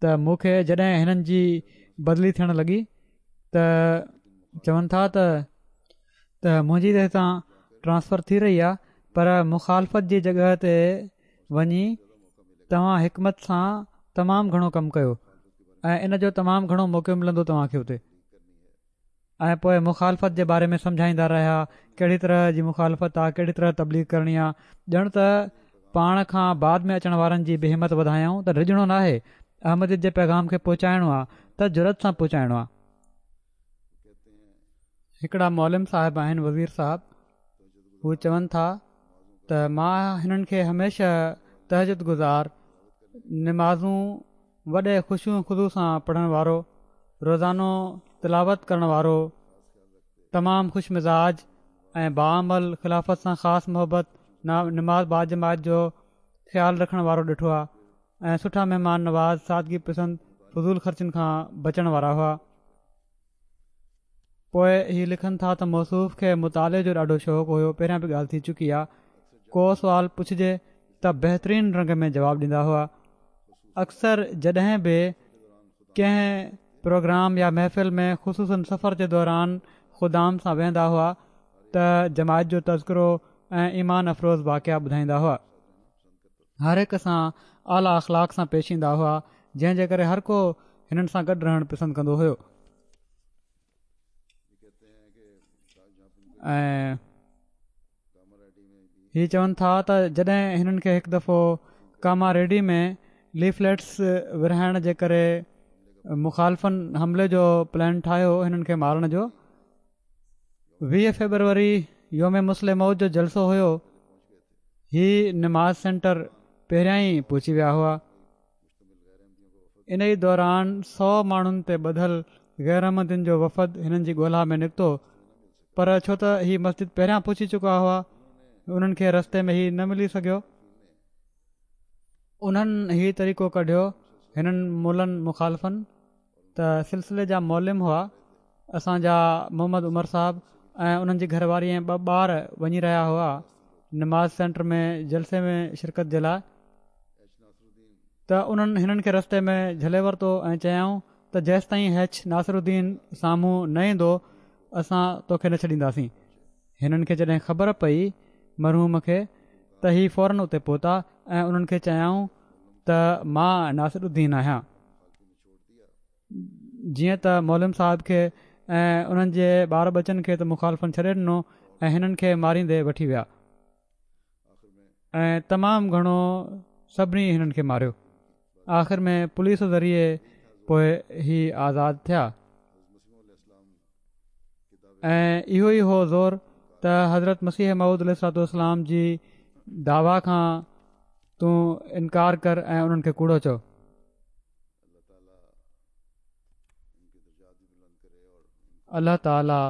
ته مون کي جڏهن هنن جي بدلي ٿيڻ لڳي ته چون ٿا ته ته منهنجي ته هتان ٽرانسفر ٿي رهي آهي، پر مخالفت جي جڳهه تي وڃي توهان حڪمت سان تمام گهڻو ڪم ڪيو ۽ ان جو تمام گهڻو موقعو ملندو توهان کي اتي. ۽ پوءِ مخالفت جي باري ۾ سمجهائيندا رهيا ڪهڙي طرح جي مخالفت آهي، ڪهڙي طرح تبليغ ڪرڻي آهي. ڄڻ ته پاڻ کان بعد ۾ اچڻ وارن جي به همت وڌايائون ته ڊڄڻو ناهي، احمديت جي پيغام کي پهچائڻو آهي ته جرئت سان پهچائڻو آهي. هڪڙا معلم صاحب آهن، وزير صاحب، هو چون ٿا ته مان هنن کي هميشه تهجد گذار، نمازون وڏي خشوع خضوع سان پڙهڻ وارو، روزانو تلاوت ڪرڻ وارو، تمام خوش مزاج ۽ باعمل، خلافت سان خاص محبت، نماز باجماعت جو خيال رکڻ وارو ڏٺو آهي ۽ سٺا مهمان نواز، سادگي پسند، فضول خرچن کان بچڻ وارا هئا. پوءِ هي لکن ٿا ته موصوف کي مطالعي جو ڏاڍو شوق هيو. پهريان به ڳالهه ٿي چڪي آهي. ڪو سوال پڇجي ته بهترين رنگ ۾ جواب ڏيندا هئا. اڪثر جڏهن به ڪنهن پروگرام يا محفل ۾ خصوصن سفر جي دوران خدام سان ويهندا هئا ته جماعت جو تذڪرو ۽ ايمان افروز واقعا ٻڌائيندا هئا. هر هڪ سان اعليٰ اخلاق سان پيش ايندا هئا، جنهن جي ڪري هر ڪو هنن سان گڏ رهڻ پسند ڪندو هيو. ۽ هي چون ٿا ته جڏهن هنن کي هڪ دفعو ڪاما ريڊي ۾ ليفليٽس ورهائڻ جي ڪري مخالفن حملي جو پلان ٺاهيو هنن کي مارڻ جو، ويهه فيبروري يوم مصلح موعود جو جلسو هيو. هي نماز سينٽر پهريان ئي پهچي ويا هئا. ان ئي دوران سؤ ماڻهن تي ٻڌل غير احمدين جو وفد هنن جي ڳولها ۾ نڪتو، پر ڇو ته هي مسجد پهريان پهچي چڪا هئا انهن کي رستي ۾ هي نه ملي سگهيو. انهن هي طريقو ڪڍيو هنن ملن مخالفن ته سلسلي جا معلم هئا اسان جا محمد عمر صاحب ۽ انهن جي گهر واري ۽ ٻه ٻار وڃي رهيا هئا نماز سينٽر ۾ جلسي ۾ شرڪت جي لاءِ، ته انهن هنن کي رستي ۾ جهلي ورتو ۽ چيائون ته جيستائين هيڇ ناصر الدين سامهون نه ايندو اسان توکي نه ڇڏينداسين. هنن کي جڏهن خبر پئي مرحوم کي ته هي فورن اتي پهتا ۽ انهن کي چيائون ته مان ناصر الدين آهيان. جيئن ته معلم صاحب کي ۽ انهن جي ٻار ٻچن کي ته مخالفن ڇڏي ڏنو ۽ هنن کي ماريندي وٺي ويا ۽ تمام گهڻو سڀني هنن کي ماريو. آخر ۾ پوليس ذريعي پوءِ هي آزاد ٿيا. ۽ اهو ئي هو زور ته حضرت مسيح موعود عليه الصلوة والسلام جي دعويٰ کان تون انڪار ڪر ۽ انهن کي ڪوڙو چئو. الله تعاليٰ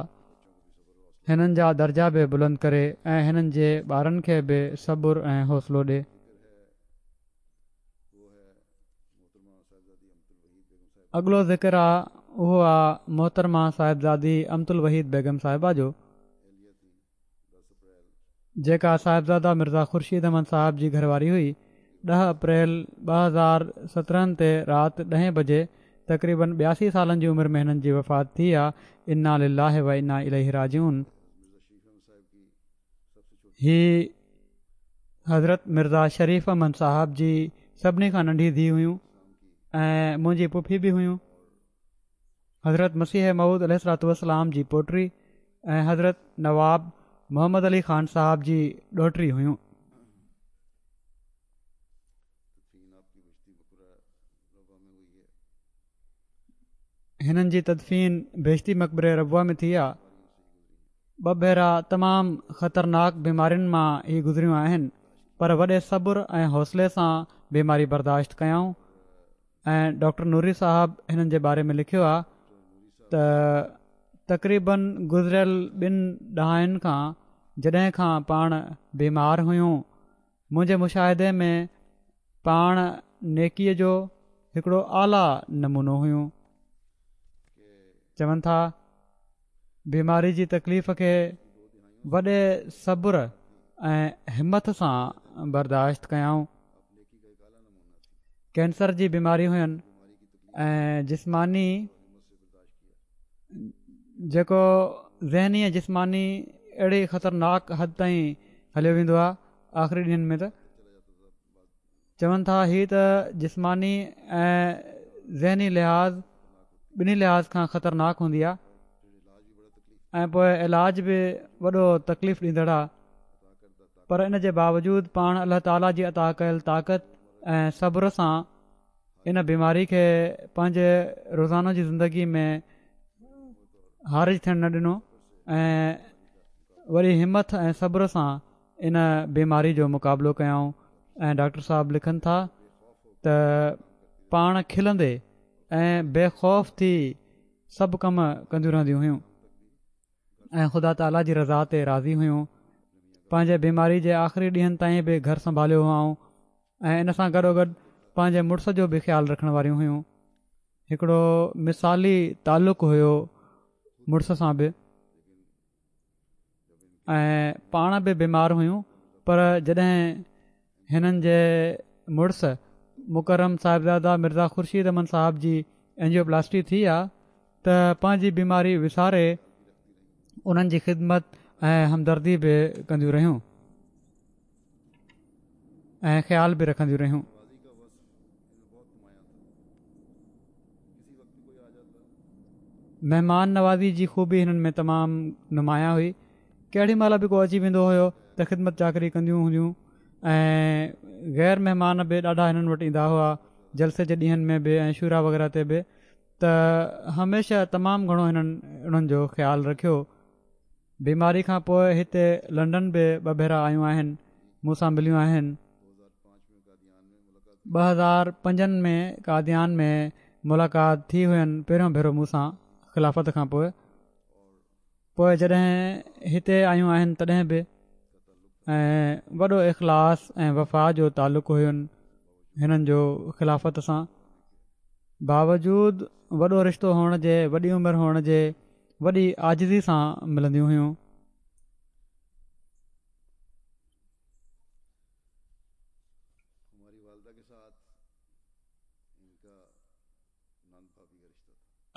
هنن جا درجا به بلند ڪري ۽ هنن جي ٻارن کي به صبر ۽ حوصلو ڏي. اڳلو ذڪر آ اهو آ محترمه صاحبزادي امت الوحيد بيگم صاحبه جو، جيڪا صاحبزاده مرزا خورشيد احمد صاحب جي گهر واري هئي. ڏهه اپريل ٻه هزار سترهن تي رات ڏهين بجي تقريبن ٻياسي سالن جي عمر ۾ هنن جي وفات ٿي آ. انا لله و انا اليه راجعون. هي حضرت مرزا شريف احمد صاحب جي سڀني کان ننڍي ڌيءُ هيون ۽ منهنجي پڦي به هيون. حضرت مسيح موعود عليه الصلوة والسلام جي پوٽي ۽ حضرت نواب محمد علي خان صاحب جي ڏوهٽي هيون. هنن جي تدفين بهشتي مقبري ربوه ۾ ٿي آ. ٻه ڀيرا تمام خطرناڪ بيمارين مان هي گذريون آهن، پر وڏي صبر ۽ حوصلي سان بيماري برداشت ڪيائون. ۽ ڊاڪٽر نوري صاحب هنن جي باري ۾ لکيو آ ته تقريبن گذريل ٻن ڏهائين کان جڏهن کان پاڻ بيمار هيون، منهنجي مشاهدي ۾ پاڻ نيڪيءَ جو هڪڙو اعليٰ نمونو هيون. چون ٿا بيماري جي تڪليف کي وڏي صبر ۽ همٿ سان برداشت ڪيائون. ڪينسر جي بيماري هين ۽ جسماني جيڪو ذهني ۽ جسماني اهڙي خطرناڪ حد تائين هليو ويندو آهي آخري ڏينهن ۾ ته چون ٿا هي ته جسماني ۽ ذهني لحاظ ٻنهي لحاظ کان خطرناڪ هوندي آهي ۽ پوءِ علاج به وڏو تڪليف ڏيندڙ آهي، پر ان جي باوجود پاڻ الله تعاليٰ جي عطا ڪيل طاقت ۽ صبر سان ان بيماري کي پنهنجي روزانو جي زندگي ۾ حارج ٿيڻ نه ڏنو ۽ وري همٿ ۽ صبر سان ان بيماري جو مقابلو ڪيائون. ۽ ڊاڪٽر صاحب لکن ٿا ته پاڻ کلندي ۽ بي خوف ٿي سڀ ڪم ڪنديون رهنديون هيون ۽ خدا تعاليٰ جي رضا تي راضي هيون. پنهنجي بيماري جي آخري ڏينهن تائين به گهر سنڀاليو هئائون ۽ ان سان گڏوگڏ پنهنجي مڙس جو به خيال رکڻ واريون هيون. هڪڙو مثالي تعلق هيو مڙس سان به، ۽ پاڻ به بيمار هيون، پر جڏهن هنن جي مڙس مڪرم صاحبزاده مرزا خورشيد احمد صاحب جي اينجيوپلاسٽي ٿي آ ته پنهنجي بيماري وساري انهن جي خدمت ۽ همدردي به ڪنديون رهيون ۽ خيال به رکنديون رهيون. مهمان نوازي جي خوبي هنن ۾ تمام نمايان هئي. ڪهڙي مهل به ڪو اچي ويندو هيو ته خدمت چاڪري ڪنديون هونديون ۽ غير مهمان به ڏاڍا هنن وٽ ايندا هئا، جلسي جي ڏينهن ۾ به ۽ شورا وغيره تي به، ته هميشه تمام گهڻو هنن انهن جو خيال رکيو. بيماري کان پوءِ هتي لنڊن به ٻه ڀيرا آيون آهن، مون سان مليون آهن. ٻه هزار پنجن ۾ قاديان ۾ ملاقات ٿي هئن پهريون ڀيرو مون سان خلافت کان پوءِ. پوءِ جڏهن هتي آيون آهن تڏهن به، ۽ وڏو اخلاص ۽ وفا جو تعلق هين هنن جو خلافت سان. باوجود وڏو رشتو هئڻ جي، وڏي عمر هئڻ جي، وڏي عاجزي سان ملنديون هيون.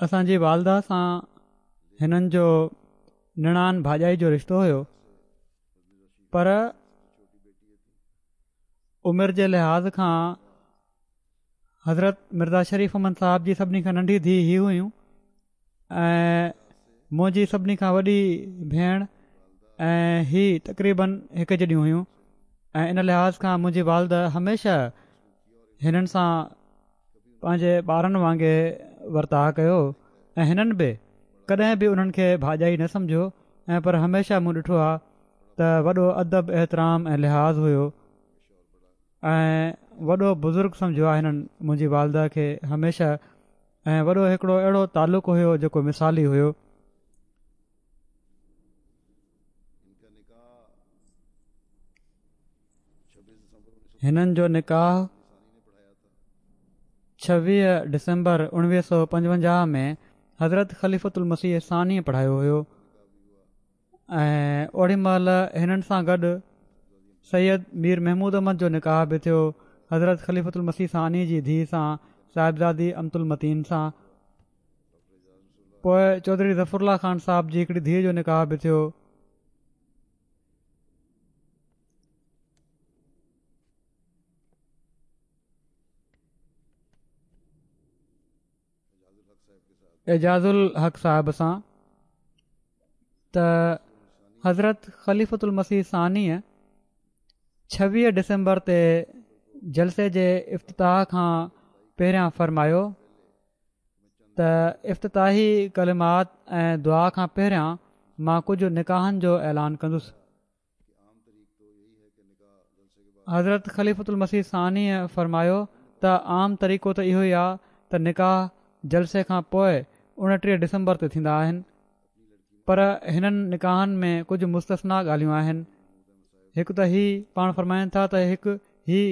اسان جي والده سان هنن جو نڻان ڀاڄائي جو رشتو هيو، پر عمر جي لحاظ کان حضرت مرزا شريف احمد صاحب جي سڀني کان ننڍي ڌيءُ هي هيون ۽ منهنجي سڀني کان وڏي ڀيڻ ۽ هي تقريبن هڪ جيڏيون هيون، ۽ ان لحاظ کان منهنجي والده هميشه هنن سان پنهنجي ٻارن وانگي ورتاءُ ڪيو ۽ هنن به ڪڏهن به انهن کي ڀاڄائي نه سمجهيو، ۽ پر هميشه مون ڏٺو آهي ته وڏو ادب احترام ۽ لحاظ هيو ۽ وڏو بزرگ سمجهيو آهي هنن منهنجي والده کي هميشه، ۽ وڏو هڪڙو اهڙو تعلق هيو جيڪو مثالي هيو. هنن جو نڪاح ڇويهه ڊسمبر اڻويهه سؤ پنجونجاهه ۾ حضرت خليفة المسيح ثاني پڙهايو هيو ۽ اوڏي مهل هنن سان گڏ سيد مير محمود احمد جو نڪاح به ٿيو حضرت خليفة المسيح ثاني جي ڌيءُ سان صاحبزادي امت المتين سان. پوءِ چوڌري ظفر الله خان صاحب جي هڪڙي ڌيءُ جو نڪاح به ٿيو. اعجاز الحق صاحب سان ته حضرت خليفة المسيح ثانيءَ ڇويهه ڊسمبر تي جلسي جي افتتاح کان پهريان فرمايو ته افتتاحي ڪلمات ۽ دعا کان پهريان مان ڪجهه نڪاحن جو اعلان ڪندس. حضرت خليفة المسيح ثانيءَ فرمايو ته عام طريقو ته اهو ئي آهي ته نڪاح جلسي کان پوءِ اڻٽيهه ڊسمبر تي ٿيندا آهن، پر هنن نڪاحن ۾ ڪجهه مستثنيٰ ڳالهيون آهن. هڪ ته هي پاڻ فرمائن ٿا ته هڪ هي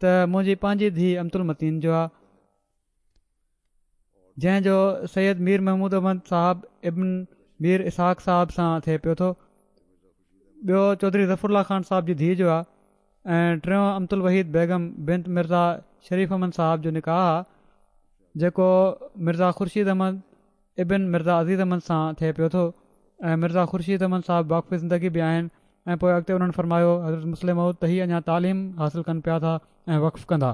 ته منهنجي پنهنجي ڌيءَ امة المتين جو آهي، جنهن جو سيد مير محمود احمد صاحب ابن مير اسحاق صاحب سان ٿئي پيو ٿو. ٻيو چوڌري ظفر الله خان صاحب جي ڌيءَ جو آهي ۽ ٽيون امة الوحيد بيگم بنت مرزا شريف احمد صاحب جو نڪاح آهي، جيڪو مرزا خورشيد احمد ابن مرزا عزيز احمد سان ٿئي پيو ٿو ۽ مرزا خورشيد احمد صاحب واقف زندگي به آهن. ۽ پوءِ اڳتي انهن فرمايو حضرت مصلح موعود ته هي اڃا تعليم حاصل ڪن پيا ٿا ۽ وقف ڪندا.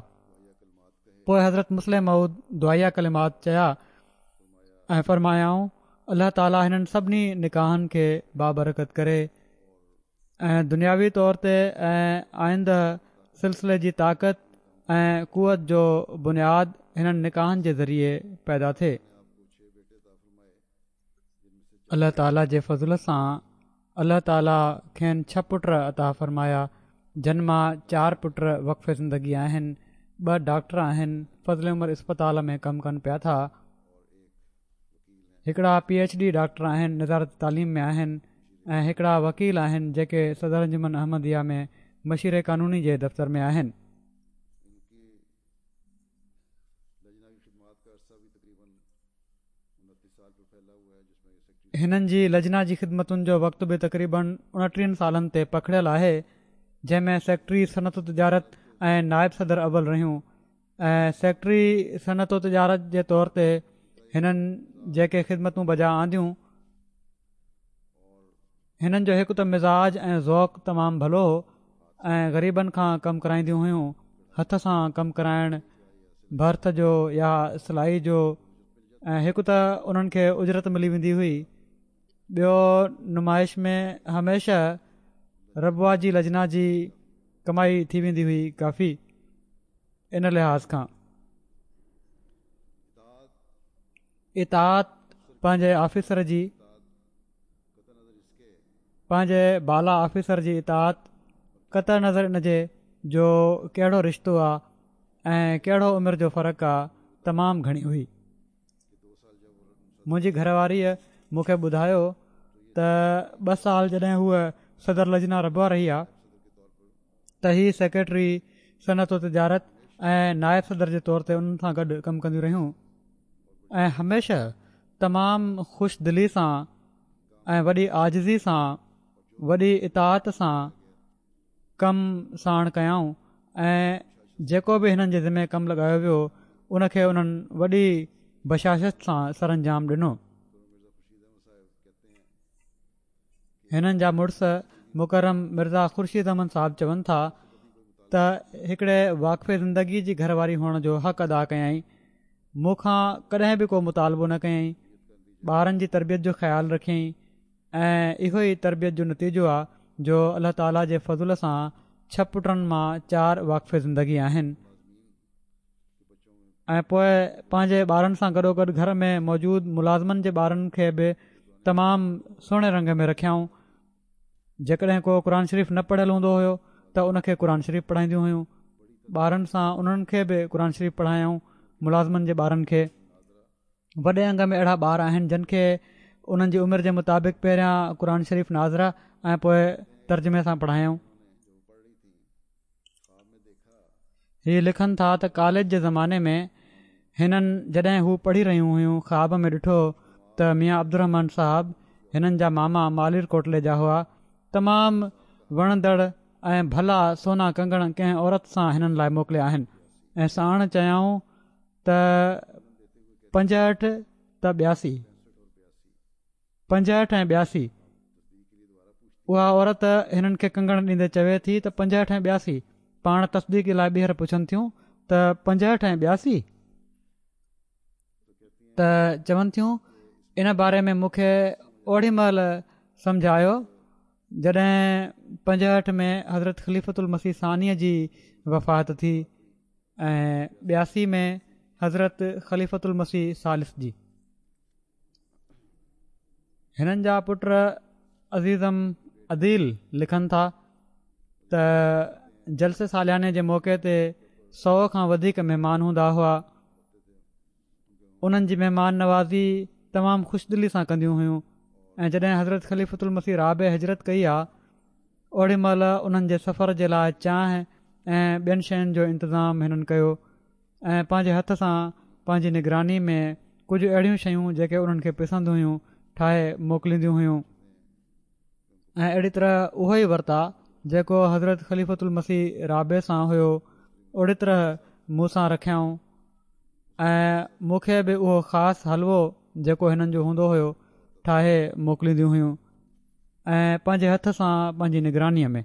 پوءِ حضرت مصلح موعود دعائيه ڪلمات چيا ۽ فرمايائون الله تعاليٰ هنن سڀني نڪاحن کي بابرڪت ڪري ۽ دنياوي طور تي ۽ آئنده سلسلي جي طاقت ۽ قوت جو بنياد هنن نڪاحن جي ذريعي پيدا ٿئي. الله تعاليٰ جي فضل سان الله تعاليٰ کين ڇهه پٽ عطا فرمايا، جن مان چار پٽ وقف زندگي آهن، ٻه ڊاڪٽر آهن، فضل عمر اسپتال ۾ ڪم ڪن پيا ٿا، هڪڙا پي ايڇ ڊي ڊاڪٽر آهن، نظارت تعليم ۾ آهن ۽ هڪڙا وڪيل آهن جيڪي صدر انجمن احمديه ۾ مشير قانوني جي دفتر ۾ آهن. هنن جي لجنا جي خدمتن جو وقت به تقريبن اڻٽيهن سالن تي پکڙيل آهي، جنهن ۾ سيڪريٽري صنعت و تجارت ۽ نائب صدر اول رهيون ۽ سيڪريٽري صنعت و تجارت جي طور تي هنن جيڪي خدمتون بجا آنديون، هنن جو هڪ ته مزاج ۽ ذوق تمام ڀلو هو ۽ غريبن کان ڪم ڪرائينديون هيون، هٿ سان ڪم ڪرائڻ ڀرت جو يا سلائي جو، ۽ هڪ ته انهن کي اجرت ملي ويندي هئي، ٻيو نمائش ۾ هميشه ربوه جي لجنا جي ڪمائي ٿي ويندي هئي ڪافي. ان لحاظ کان اطاعت پنهنجي آفيسر جي پنهنجي بالا آفيسر جي اطاعت قطع نظر ان جي جو ڪهڙو رشتو آهي ۽ ڪهڙو عمر جو فرق آهي تمام گهڻي هئي. منهنجي گهر واريءَ مون کي ٻڌايو ته ٻه سال جڏهن هوءَ صدر لجنا ربوه رهي آهي ته هي سيڪريٽري صنعت و تجارت ۽ نائب صدر جي طور تي انهن سان گڏ ڪم ڪنديون رهيون ۽ هميشه تمام خوش دلي سان ۽ وڏي عاجزي سان وڏي اطاعت سان ڪم ساڻ ڪيائون ۽ جيڪو به هنن جي ذمي ڪم لڳايو ويو ان کي انهن وڏي بشاشت سان سرانجام ڏنو. هنن جا مڙس مڪرم مرزا خورشيد احمد صاحب چون ٿا ته هڪڙي واقف زندگي جي گهر واري هئڻ جو حق ادا ڪيائين، مون کان ڪڏهن به ڪو مطالبو نه ڪيائين، ٻارن جي تربيت جو خيال رکيائين ۽ اهو ئي تربيت جو نتيجو آهي جو الله تعاليٰ جي فضل سان ڇهه پٽن مان چار واقف زندگي آهن. ۽ پوءِ پنهنجي ٻارن سان گڏوگڏ گهر ۾ موجود ملازمن جي ٻارن کي به تمام سهڻي رنگ ۾ رکيائون. جيڪڏهن ڪو قرآن شريف نه پڙهيل هوندو هيو ته ان کي قرآن شريف پڙهائينديون هيون، ٻارن سان انهن کي به قرآن شريف پڙهايائون ملازمن جي ٻارن کي. وڏي انگ ۾ اهڙا ٻار آهن جن کي انهن جي عمر جي مطابق پهريان قرآن شريف ناظره ۽ پوءِ ترجمي سان پڙهايائون. هي لکن ٿا ته ڪاليج جي زماني ۾ هنن جڏهن هو پڙهي رهيون هيون خواب ۾ ڏٺو ته ميان عبدالرحمان صاحب هنن جا ماما مالير ڪوٽلي جا هئا، تمام وڻندڙ ۽ ڀلا سونا ڪنگڻ ڪنهن عورت سان هنن لاءِ موڪليا آهن ۽ ساڻ چيائون ته پنجهٺ ته ٻياسي پنجهٺ ۽ ٻياسي. اها عورت هنن کي ڪنگڻ ڏيندي چوي ٿي ته پنجهٺ ۽ ٻياسي. پاڻ تصديق لاءِ ٻيهر پڇن ٿيون ته پنجهٺ ۽ ٻياسي؟ ته چون ٿيون ان باري ۾ مون کي اوڏي مهل سمجهه آيو جڏهن پنجهٺ ۾ حضرت خليفة المسيح ثانيءَ جي وفات ٿي ۽ ٻياسي ۾ حضرت خليفة المسيح ثالث جي. هنن جا پٽ عزيزم عديل لکن ٿا ته جلسي سالياني جي موقعي تي سؤ کان وڌيڪ مهمان هوندا هئا. انهن جي مهمان نوازي تمام خوش دلي سان ڪنديون هيون ۽ جڏهن حضرت خليفة المسيح رابع هجرت ڪئي آ اوڏي مهل انهن جي سفر جي لاءِ چانهه ۽ ٻين شين جو انتظام هنن ڪيو ۽ پنهنجي هٿ سان پنهنجي نگراني ۾ ڪجهه اهڙيون شيون جيڪي انهن کي پسند هيون ٺاهي موڪلينديون هيون ۽ اهڙي طرح اهو ئي ورتاءُ جيڪو حضرت خليفة المسيح رابع سان هيو اوڙي طرح مون سان رکيائون ۽ مون کي به اهو خاص حلوو جيڪو هنن جو هوندو هيو ٺاهي موڪلينديون هيون ۽ پنهنجي هٿ سان پنهنجي نگرانيءَ ۾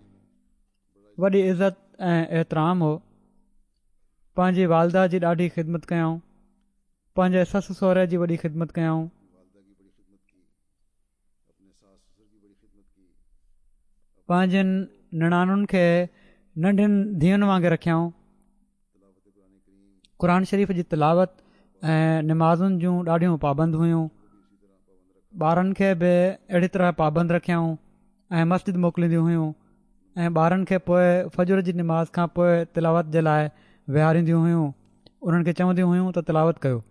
وڏي عزت ۽ احترام هو. پنهنجي والده جي ڏاڍي خدمت ڪيائون، پنهنجي سس سهري جي وڏي خدمت ڪيائون. پنهنجن نڻانن کي ننڍين ڌيئن وانگر رکيائون. قرآن شريف جي تلاوت ۽ نمازن جون ڏاڍيون پابند هيون. ٻارن کي به اهڙي طرح پابند رکيائون ۽ مسجد موڪلينديون هيون ۽ ٻارن کي پوءِ فجر جي نماز کان پوءِ تلاوت جي لاءِ ويهارينديون هيون. انهن کي چونديون هيون ته تلاوت ڪيو.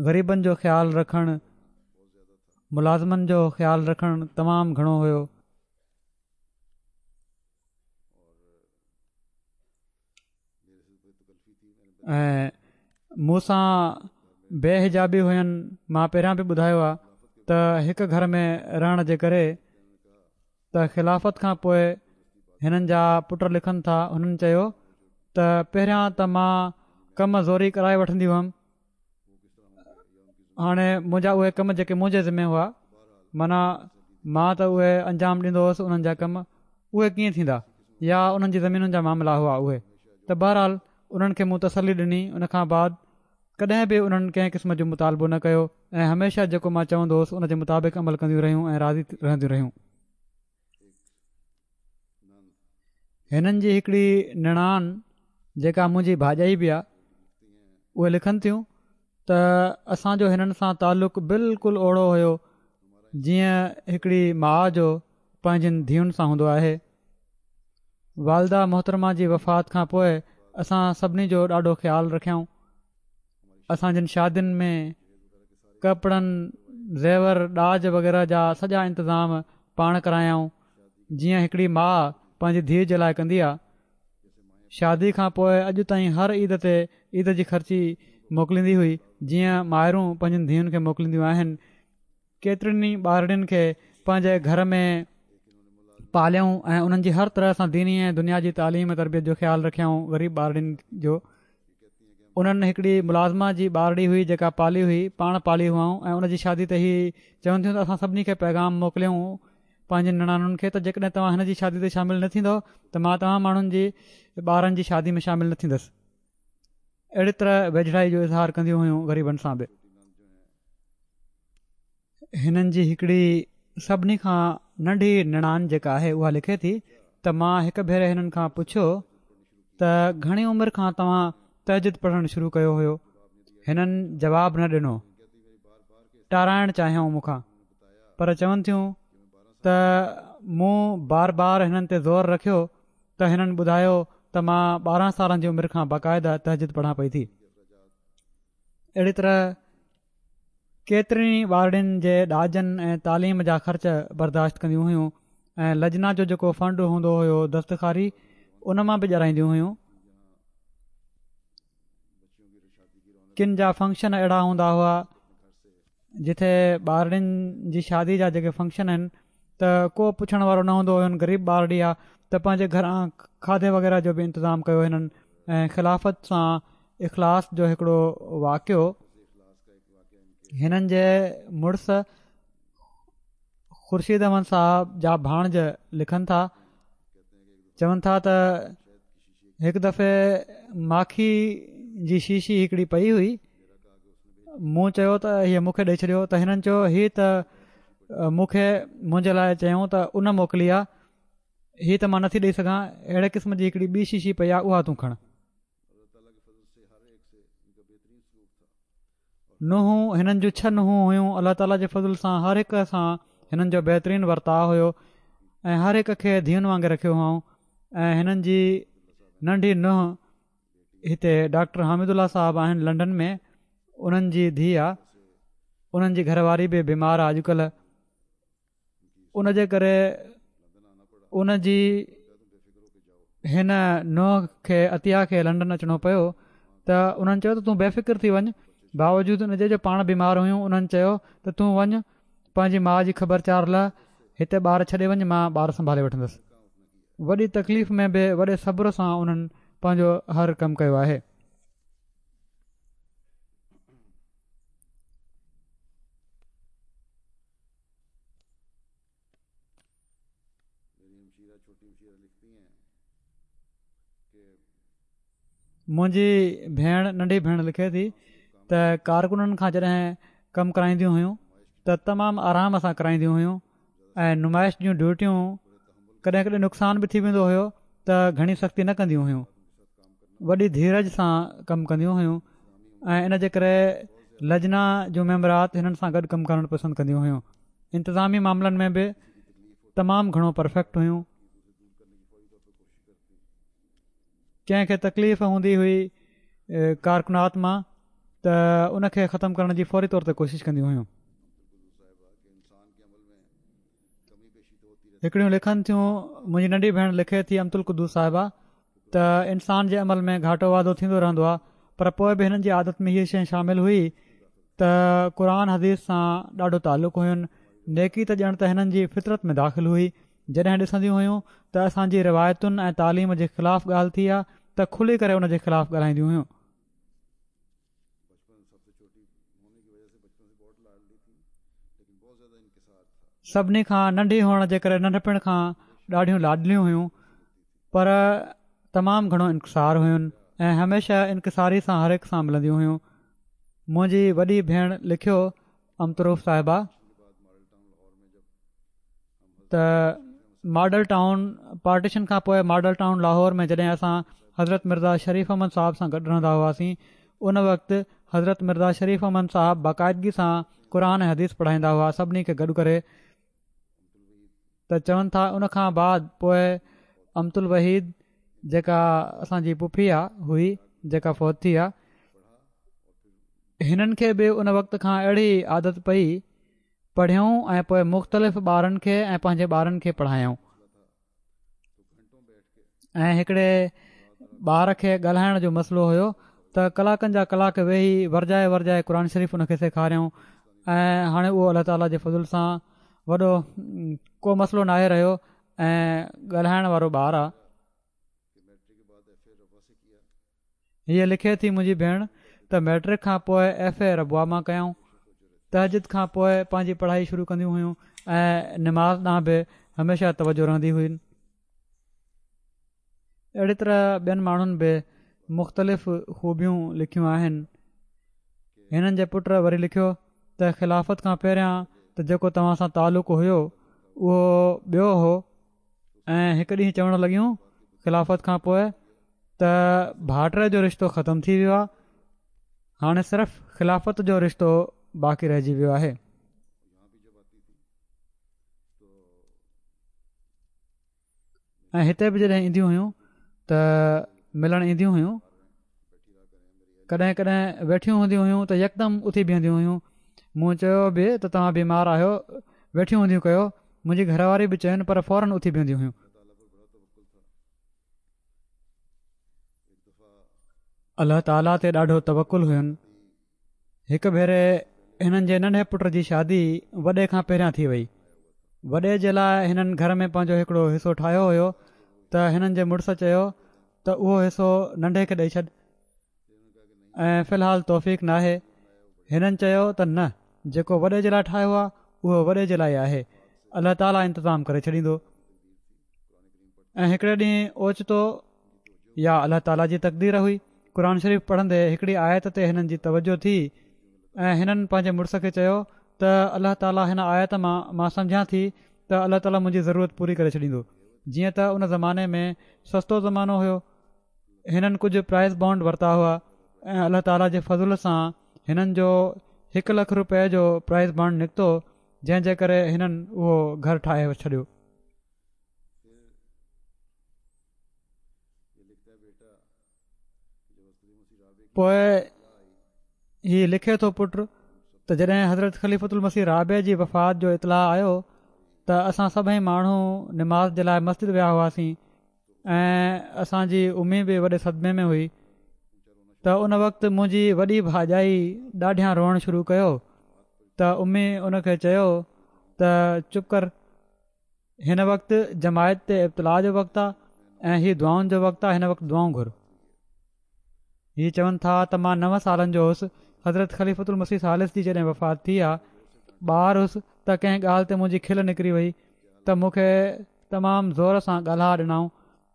غريبن جو خيال رکڻ، ملازمن جو خيال رکڻ تمام گهڻو هيو. ۽ مون سان بي حجابي هين. مان پهريان به ٻڌايو آهي ته هڪ گهر ۾ رهڻ جي ڪري ته خلافت کان پوءِ هنن جا پٽ لکن ٿا، هنن چيو ته پهريان ته مان ڪم زوري ڪرائي وٺندي هئم، هاڻي منهنجا اهي ڪم جيڪي منهنجي ذمي هئا معنيٰ مان ته اهي انجام ڏيندو هئس، انهن جا ڪم اهي ڪيئن ٿيندا يا انهن جي زمينن جا معاملا هئا اهي ته بهرحال انهن کي مون تسلي ڏني. ان کان بعد ڪڏهن به انهن ڪنهن قسم جو مطالبو نه ڪيو ۽ هميشه جيڪو مان چوندو هوس ان جي مطابق عمل ڪنديون رهيون ۽ راضي رهنديون رهيون. هنن جي هڪڙي نڻان جيڪا منهنجي ڀاڄائي به آهي اهي لکن ٿيون ته اسان جو هنن سان تعلق بلڪل اوڙو هيو جيئن هڪڙي ماءُ جو پنهنجن ڌيئن سان هوندو آهي. والده محترمه جي وفات کان پوءِ اسان سڀني جو ڏاڍو خيال رکيائون. اسان جن شادين ۾ ڪپڙن، زيور، ڏاج وغيره جا سڄا انتظام پاڻ ڪرايائون جيئن هڪڙي ماءُ پنهنجي ڌيءَ جي لاءِ ڪندي آهي. شادي کان پوءِ اڄ تائين هر عيد تي عيد جي خرچي موڪليندي هئي جيئن مائرون پنهنجن ڌيئن کي موڪلينديون آهن. ڪيترين ئي ٻارڙين کي پنهنجي گهر ۾ پاليائون ۽ انهن جي هر طرح سان ديني ۽ دنيا جي تعليم ۽ تربيت جو خيال رکيائون. غريب ٻارڙين جو انهن هڪڙي ملازمه جي ٻارڙي هئي جيڪا پالي هئي، پاڻ پالي هئائون ۽ ان جي شادي تي هي چون ٿيون ته اسان سڀني کي پيغام موڪليون پنهنجن نڻانن کي ته جيڪڏهن توهان هن جي شادي تي شامل نه ٿيندؤ ته مان توهان ماڻهن جي ٻارن جي شادي ۾ شامل نه ٿيندس. اهڙي طرح ويجهڙائي جو اظهار ڪنديون هيون غريبن سان به. هنن جي هڪڙي سڀني کان ننڍي نڻان جيڪا آهي اها لکي ٿي ته مان هڪ ڀيري هنن کان پڇيو ته گهڻي عمر کان توهان تهجد پڙهڻ شروع ڪيو هيو؟ هنن جواب نه ڏنو، ٽارائڻ چاهيائون مون کان، پر چون ٿيون ته مون بار بار هنن تي زور رکيو ته هنن ٻڌايو ته مان ٻارهن سالن جي عمر کان باقاعده تهجد پڙهان پئي ٿي. اهڙي طرح ڪيترين ئي ٻارڙين جي ڏاجن ۽ تعليم جا خرچ برداشت ڪنديون هيون ۽ لجنا جو جيڪو فنڊ هوندو هيو دستخاري ان مان به ڏيارائينديون هيون. ڪن جا فنڪشن اهڙا هوندا هئا جتي ٻارڙين جي شادي جا جيڪي فنڪشن آهن ته ڪو پڇڻ وارو نه هوندو هين، غريب ٻارڙي آهي ته پنهنجي گهران کاڌي وغيره جو به انتظام ڪيو هنن. ۽ خلافت سان اخلاص جو هڪڙو واقعو هنن جي مڙس خورشيد احمد صاحب جا ڀاڻج لکن ٿا، چون ٿا ته هڪ دفعي ماکي جي شيشي هڪڙي پئي هئي، مون چيو ته هيء مون کي ڏئي ڇڏيو ته هنن چيو هي ته مون کي منهنجي لاءِ چيائون ته ان موڪلي آهي، هي ته مان نٿي ڏئي سگهان. اهڙي قسم جي هڪڙي ٻي شيشي پئي آهي، اها تون کڻ. ننهن هنن جون ڇهه ننهون هيون. الله تعاليٰ جي فضل سان هر هڪ سان هنن جو بهترين ورتاءُ هيو ۽ هر هڪ کي ڌيئن وانگر رکيو هئائون. ۽ هنن جي ننڍي ننهن هتي ڊاڪٽر حامد الله صاحب آهن لنڊن ۾، انهن جي ڌيءَ آهي. انهن جي گهر واري به بيمار آهي اڄڪلهه، ان جي ڪري ان جي هن ننهن کي عطيه کي لنڊن اچڻو پيو. ته انهن چيو ته تون بي فڪر ٿي وڃ، باوجود ان جي جو پاڻ بيمار هيون. انهن چيو ته تون وڃ پنهنجي ماءُ جي خبر چار لهه، هتي ٻار ڇڏي وڃ، مان ٻار سنڀالي وٺندس. وڏي تڪليف ۾ به وڏي صبر سان انهن پنهنجو هر ڪم ڪيو آهي. منهنجي ڀيڻ ننڍي ڀيڻ لکي ٿي ته ڪارڪنن کان جڏهن ڪم ڪرائينديون هيون ته تمام آرام سان ڪرائينديون هيون ۽ نمائش جون ڊيوٽيون ڪڏهن ڪڏهن نقصان به ٿي ويندو هيو ته گهڻي سختي نه ڪنديون هيون، وڏي ڌيرج سان ڪم ڪنديون هيون ۽ ان جي ڪري لجنا جون ميمبرات هنن سان گڏ ڪم ڪرڻ پسند ڪنديون هيون. انتظامي معاملن ۾ به تمام گهڻو پرفيڪٽ هيون. ڪنهن کي تڪليف هوندي هئي ڪارڪنات مان ته ان کي ختم ڪرڻ جي فوري طور تي ڪوشش ڪنديون هيون. هڪڙيون لکن ٿيون، منهنجي ننڍي ڀيڻ لکي ٿي امت القدوس صاحبه ته انسان جي عمل ۾ گهاٽو واڌو ٿيندو رهندو آهي، پر پوءِ به هنن جي عادت ۾ هيءَ شيءِ شامل هئي ته قرآن حديث سان ڏاڍو تعلق هين. نيڪي ته ڄڻ ته هنن جي فطرت ۾ داخل هئي. جڏهن ڏسنديون هيون ته اسان جي روايتن ۽ تعليم جي خلاف ڳالهه ٿي آهي ته کلي ڪري ان جي خلاف ڳالهائينديون هيون. سڀني کان ننڍي هئڻ جي ڪري ننڍپڻ کان ڏاڍيون لاڏليون هيون، پر تمام گهڻو انڪسار هين ۽ هميشه انڪساري سان هر هڪ سان ملنديون هيون. منهنجي وڏي ڀيڻ لکيو امتروف صاحبه ته ماڊل ٽائون پارٽيشن کان پوءِ ماڊل ٽائون لاهور ۾ جڏهن اسان حضرت مرزا شريف احمد صاحب سان گڏ رهندا هئاسين، ان وقت حضرت مرزا شريف احمد صاحب باقاعدگي سان قرآن ۽ حديث پڙهائيندا هئا سڀني کي گڏ ڪري. ته چون ٿا ان کان بعد پوءِ امت الوحيد جيڪا اسان جي پڦي آ هئي جيڪا فوت ٿي آ، هنن کي به ان وقت کان اهڙي عادت پئي، پڙهيائون ۽ پوءِ مختلف ٻارن کي ۽ پنهنجي ٻارن کي پڙهايائون. ۽ هڪڙي ٻار کي ڳالهائڻ جو مسئلو هيو ته ڪلاڪن جا ڪلاڪ ويهي ورجائي ورجائي قرآن شريف ان کي سيکاريائون ۽ هاڻي اهو الله تعاليٰ جي فضل سان وڏو ڪو مسئلو ناهي رهيو ۽ ڳالهائڻ وارو ٻار آهي. هيءَ لکي ٿي منهنجي ڀيڻ ته ميٽرڪ کان پوءِ ايف اي ربوه مان ڪيائون. تهجد کان پوءِ پنهنجي پڙهائي شروع ڪنديون هيون ۽ نماز ڏانهن به هميشه توجه رهندي هئي. اهڙي طرح ٻين ماڻهن به مختلف خوبيون لکيون آهن. هنن جي پٽ وري لکيو ته خلافت کان پهريان ته جيڪو توهان سان تعلق هيو اهو ٻيو هو، ۽ هڪ ڏينهن چوڻ لڳيون خلافت کان پوءِ ته ڀائٽي جو رشتو ختم ٿي ويو آهي، هاڻي صرف خلافت جو رشتو باقي رهجي ويو آهي. ۽ هتي به جڏهن اينديون هيون ته ملڻ اينديون هيون، ڪڏهن ڪڏهن ويٺيون هونديون هيون ته يڪدم اٿي بيهنديون هيون. مون چيو به ته توهان بيمار آهيو، ويٺيون هونديون ڪيو. منهنجي گهر واري به چين، پر فورن اٿي بيهنديون هيون. الله تعاليٰ تي ڏاڍو توڪل هين. هڪ ڀيري هنن جي ننڍي پٽ جي شادي وڏي کان پهريان ٿي وئي. وڏي جي لاءِ هنن گهر ۾ پنهنجو هڪڙو حصو ٺاهيو هيو ته هنن جي مڙس چيو ته اهو حصو ننڍي کي ڏئي ڇڏ ۽ في الحال توفيق ناهي. هنن چيو ته نه، جيڪو وڏي جي لاءِ ٺاهيو آهي اهو وڏي جي لاءِ آهي، الله تعاليٰ انتظام ڪري ڇڏيندو. ۽ هڪڙي ڏينهن اوچتو يا الله تعاليٰ جي تقدير هئي، قرآن شريف پڙهندي هڪڙي آيت تي هنن جي توجه ٿي ۽ هنن پنهنجي مڙس کي چيو ته الله تعاليٰ هن آيت مان مان سمجهان ٿي ته الله تعاليٰ منهنجي ضرورت پوري ڪري ڇڏيندو. جيئن ته ان زماني ۾ سستو زمانو هيو، هنن ڪجهه پرائز بانڊ ورتا هئا ۽ الله تعاليٰ جي فضل سان هنن جو هڪ لک رپئي جو پرائز بانڊ نڪتو، جنهن جي ڪري هنن اهو گهر ٺاهي ڇڏيو. پوءِ هي لکي ٿو پٽ ته جڏهن حضرت خليفة المسيح رابع جي وفات جو اطلاع آيو ته اسان سڀئي ماڻهو نماز جي لاءِ مسجد ويا هئاسين ۽ اسان جي امي به وڏي صدمي ۾ هئي ته ان وقت منهنجي وڏي ڀاڄائي ڏاڍيان روئڻ شروع ڪيو ته امي ان کي چيو ته چپ ڪر، هن وقت جماعت تي ابتلا جو وقت آهي ۽ هي دعائن جو وقت آهي، هن وقت دعائون گهر. هي چون ٿا ته مان نو سالن جو هوس، حضرت خليفة المسيح ثالث جي جڏهن وفات ٿي آ، ٻار هوس ته ڪنهن ڳالهه تي منهنجي کل نڪري وئي ته مون کي تمام زور سان ڳالها ڏنائون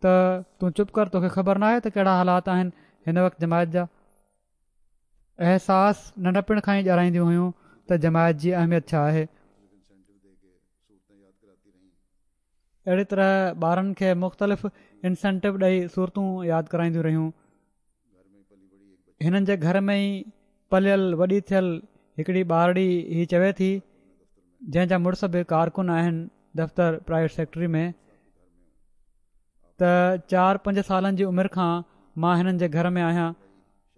ته تون چپ ڪر، توکي خبر ناهي ته ڪهڙا حالات آهن هن وقت جماعت جا. احساس ننڍپڻ کان ئي ڏيارائينديون هيون ته جماعت جي اهميت ڇا آهي. اهڙي طرح ٻارن کي مختلف انسينٽو ڏئي صورتون ياد ڪرائينديون رهيون. هنن جي گهر ۾ ئي پليل وڏي ٿيل هڪڙي ٻارڙي هي چوي ٿي، جنهن جا مڙس به ڪارڪن آهن دفتر پرائيويٽ سيڪٽري ۾، ته چار پنج سالن جي عمر کان مان هنن جي گهر ۾ آهيان.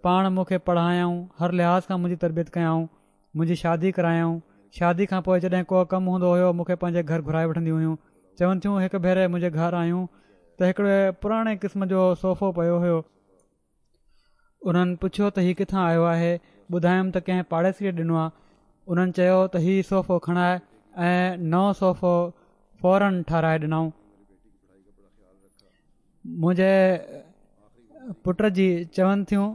پاڻ مون کي پڙهايائون، هر لحاظ کان منهنجي تربيت ڪيائون، منهنجي شادي ڪرايائون. شادي کان پوءِ جڏهن ڪو ڪم هوندو هيو مون کي پنهنجي گهر گهرائي وٺنديون هيون. چون ٿيون هڪ ڀيري منهنجي گهر آيون ته هڪڙي پراڻي قسم جو صوفو پيو هيو. انهن پڇيو ته هي ڪٿان آيو آهي؟ ٻڌايم ته ڪنهن پاڙيسريءَ ڏنو آهي. انهن چيو ته هي صوفو کڻائي ۽ نئون صوفو فورن ٺهرائي ڏنائون. منهنجي پٽ جي چون ٿيون،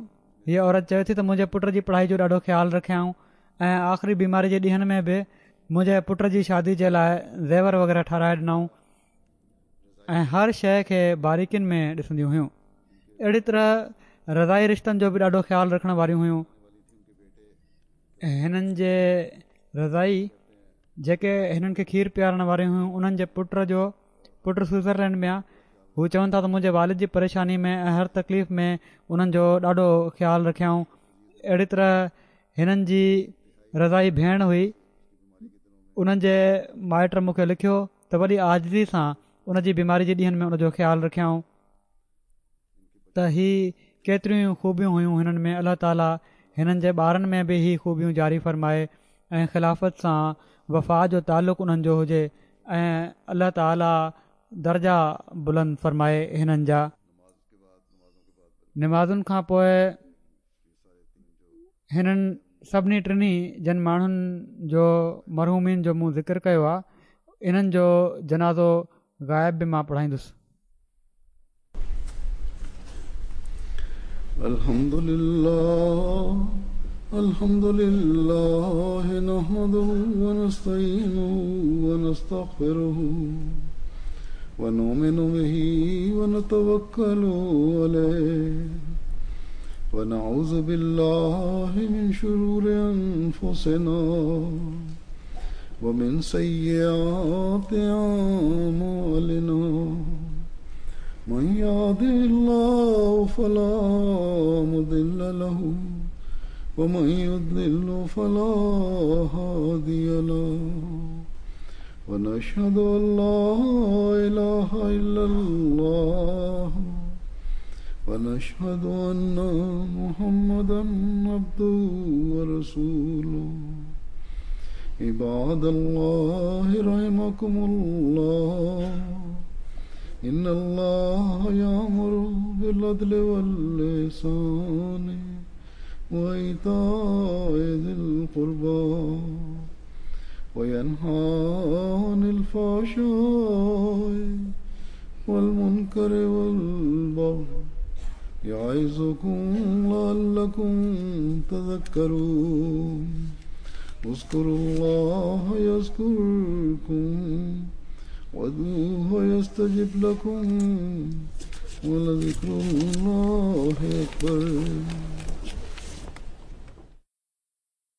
هيءَ عورت چوي ٿي ته منهنجي پٽ جي پڙهائي جو ڏاڍو خيال رکيائون ۽ آخري بيماري جي ڏينهن ۾ به منهنجي پٽ جي شادي جي لاءِ زيور وغيره ٺهرائي ڏنائون ۽ هر شيءِ کي باريڪين ۾ ڏسنديون هيون. اهڙي طرح رضائي رشتن جو به ڏاڍو خيال رکڻ واريون هيون. هنن جي رضائي جيڪي هنن کي کير پيارڻ واريون هيون، انهن جي پٽ جو پٽ سوئٽزرلينڊ ۾ آهي. هو چون ٿا ته منهنجي والد جي پريشاني ۾ ۽ هر تڪليف ۾ انهن جو ڏاڍو خيال رکيائون. اهڙي طرح هنن جي رضائي ڀيڻ هئي، انهن جي مائٽ مون کي لکيو ته وڏي عاجزي سان ان جي بيماري جي ڏينهن ۾ ان جو خيال رکيائون. ته هي ڪيتريون خوبيون هيون هنن ۾. الله تعاليٰ هنن جي ٻارن ۾ به هي خوبيون جاري فرمائي ۽ خلافت سان وفا جو تعلق انهن جو هجي ۽ الله تعاليٰ درجا بلند فرمائي هنن جا. نمازن کان پوءِ هنن سڀني ٽنهي جن ماڻهن جو مرحومين جو مون ذڪر ڪيو آهي، انهن جو جنازو غائب به مان پڙهائيندس. الحمد لله الحمد لله نحمده ونستعينه ونستغفره ونؤمن به ونتوكل عليه ونعوذ بالله من شرور أنفسنا ومن سيئات أعمالنا من يهده الله فلا مضل له ومن يضلل فلا هادي له ونشهد أن لا إله إلا الله ونشهد أن محمدا عبده ورسوله. عباد الله رحمكم الله، إن الله يأمر بالعدل والإحسان وإيتاء ذي القربى وينهى عن الفحشاء والمنكر والبغي يعظكم لعلكم تذكرون. اذكروا الله يذكركم وادعوه يستجب لكم ولذكر الله أكبر.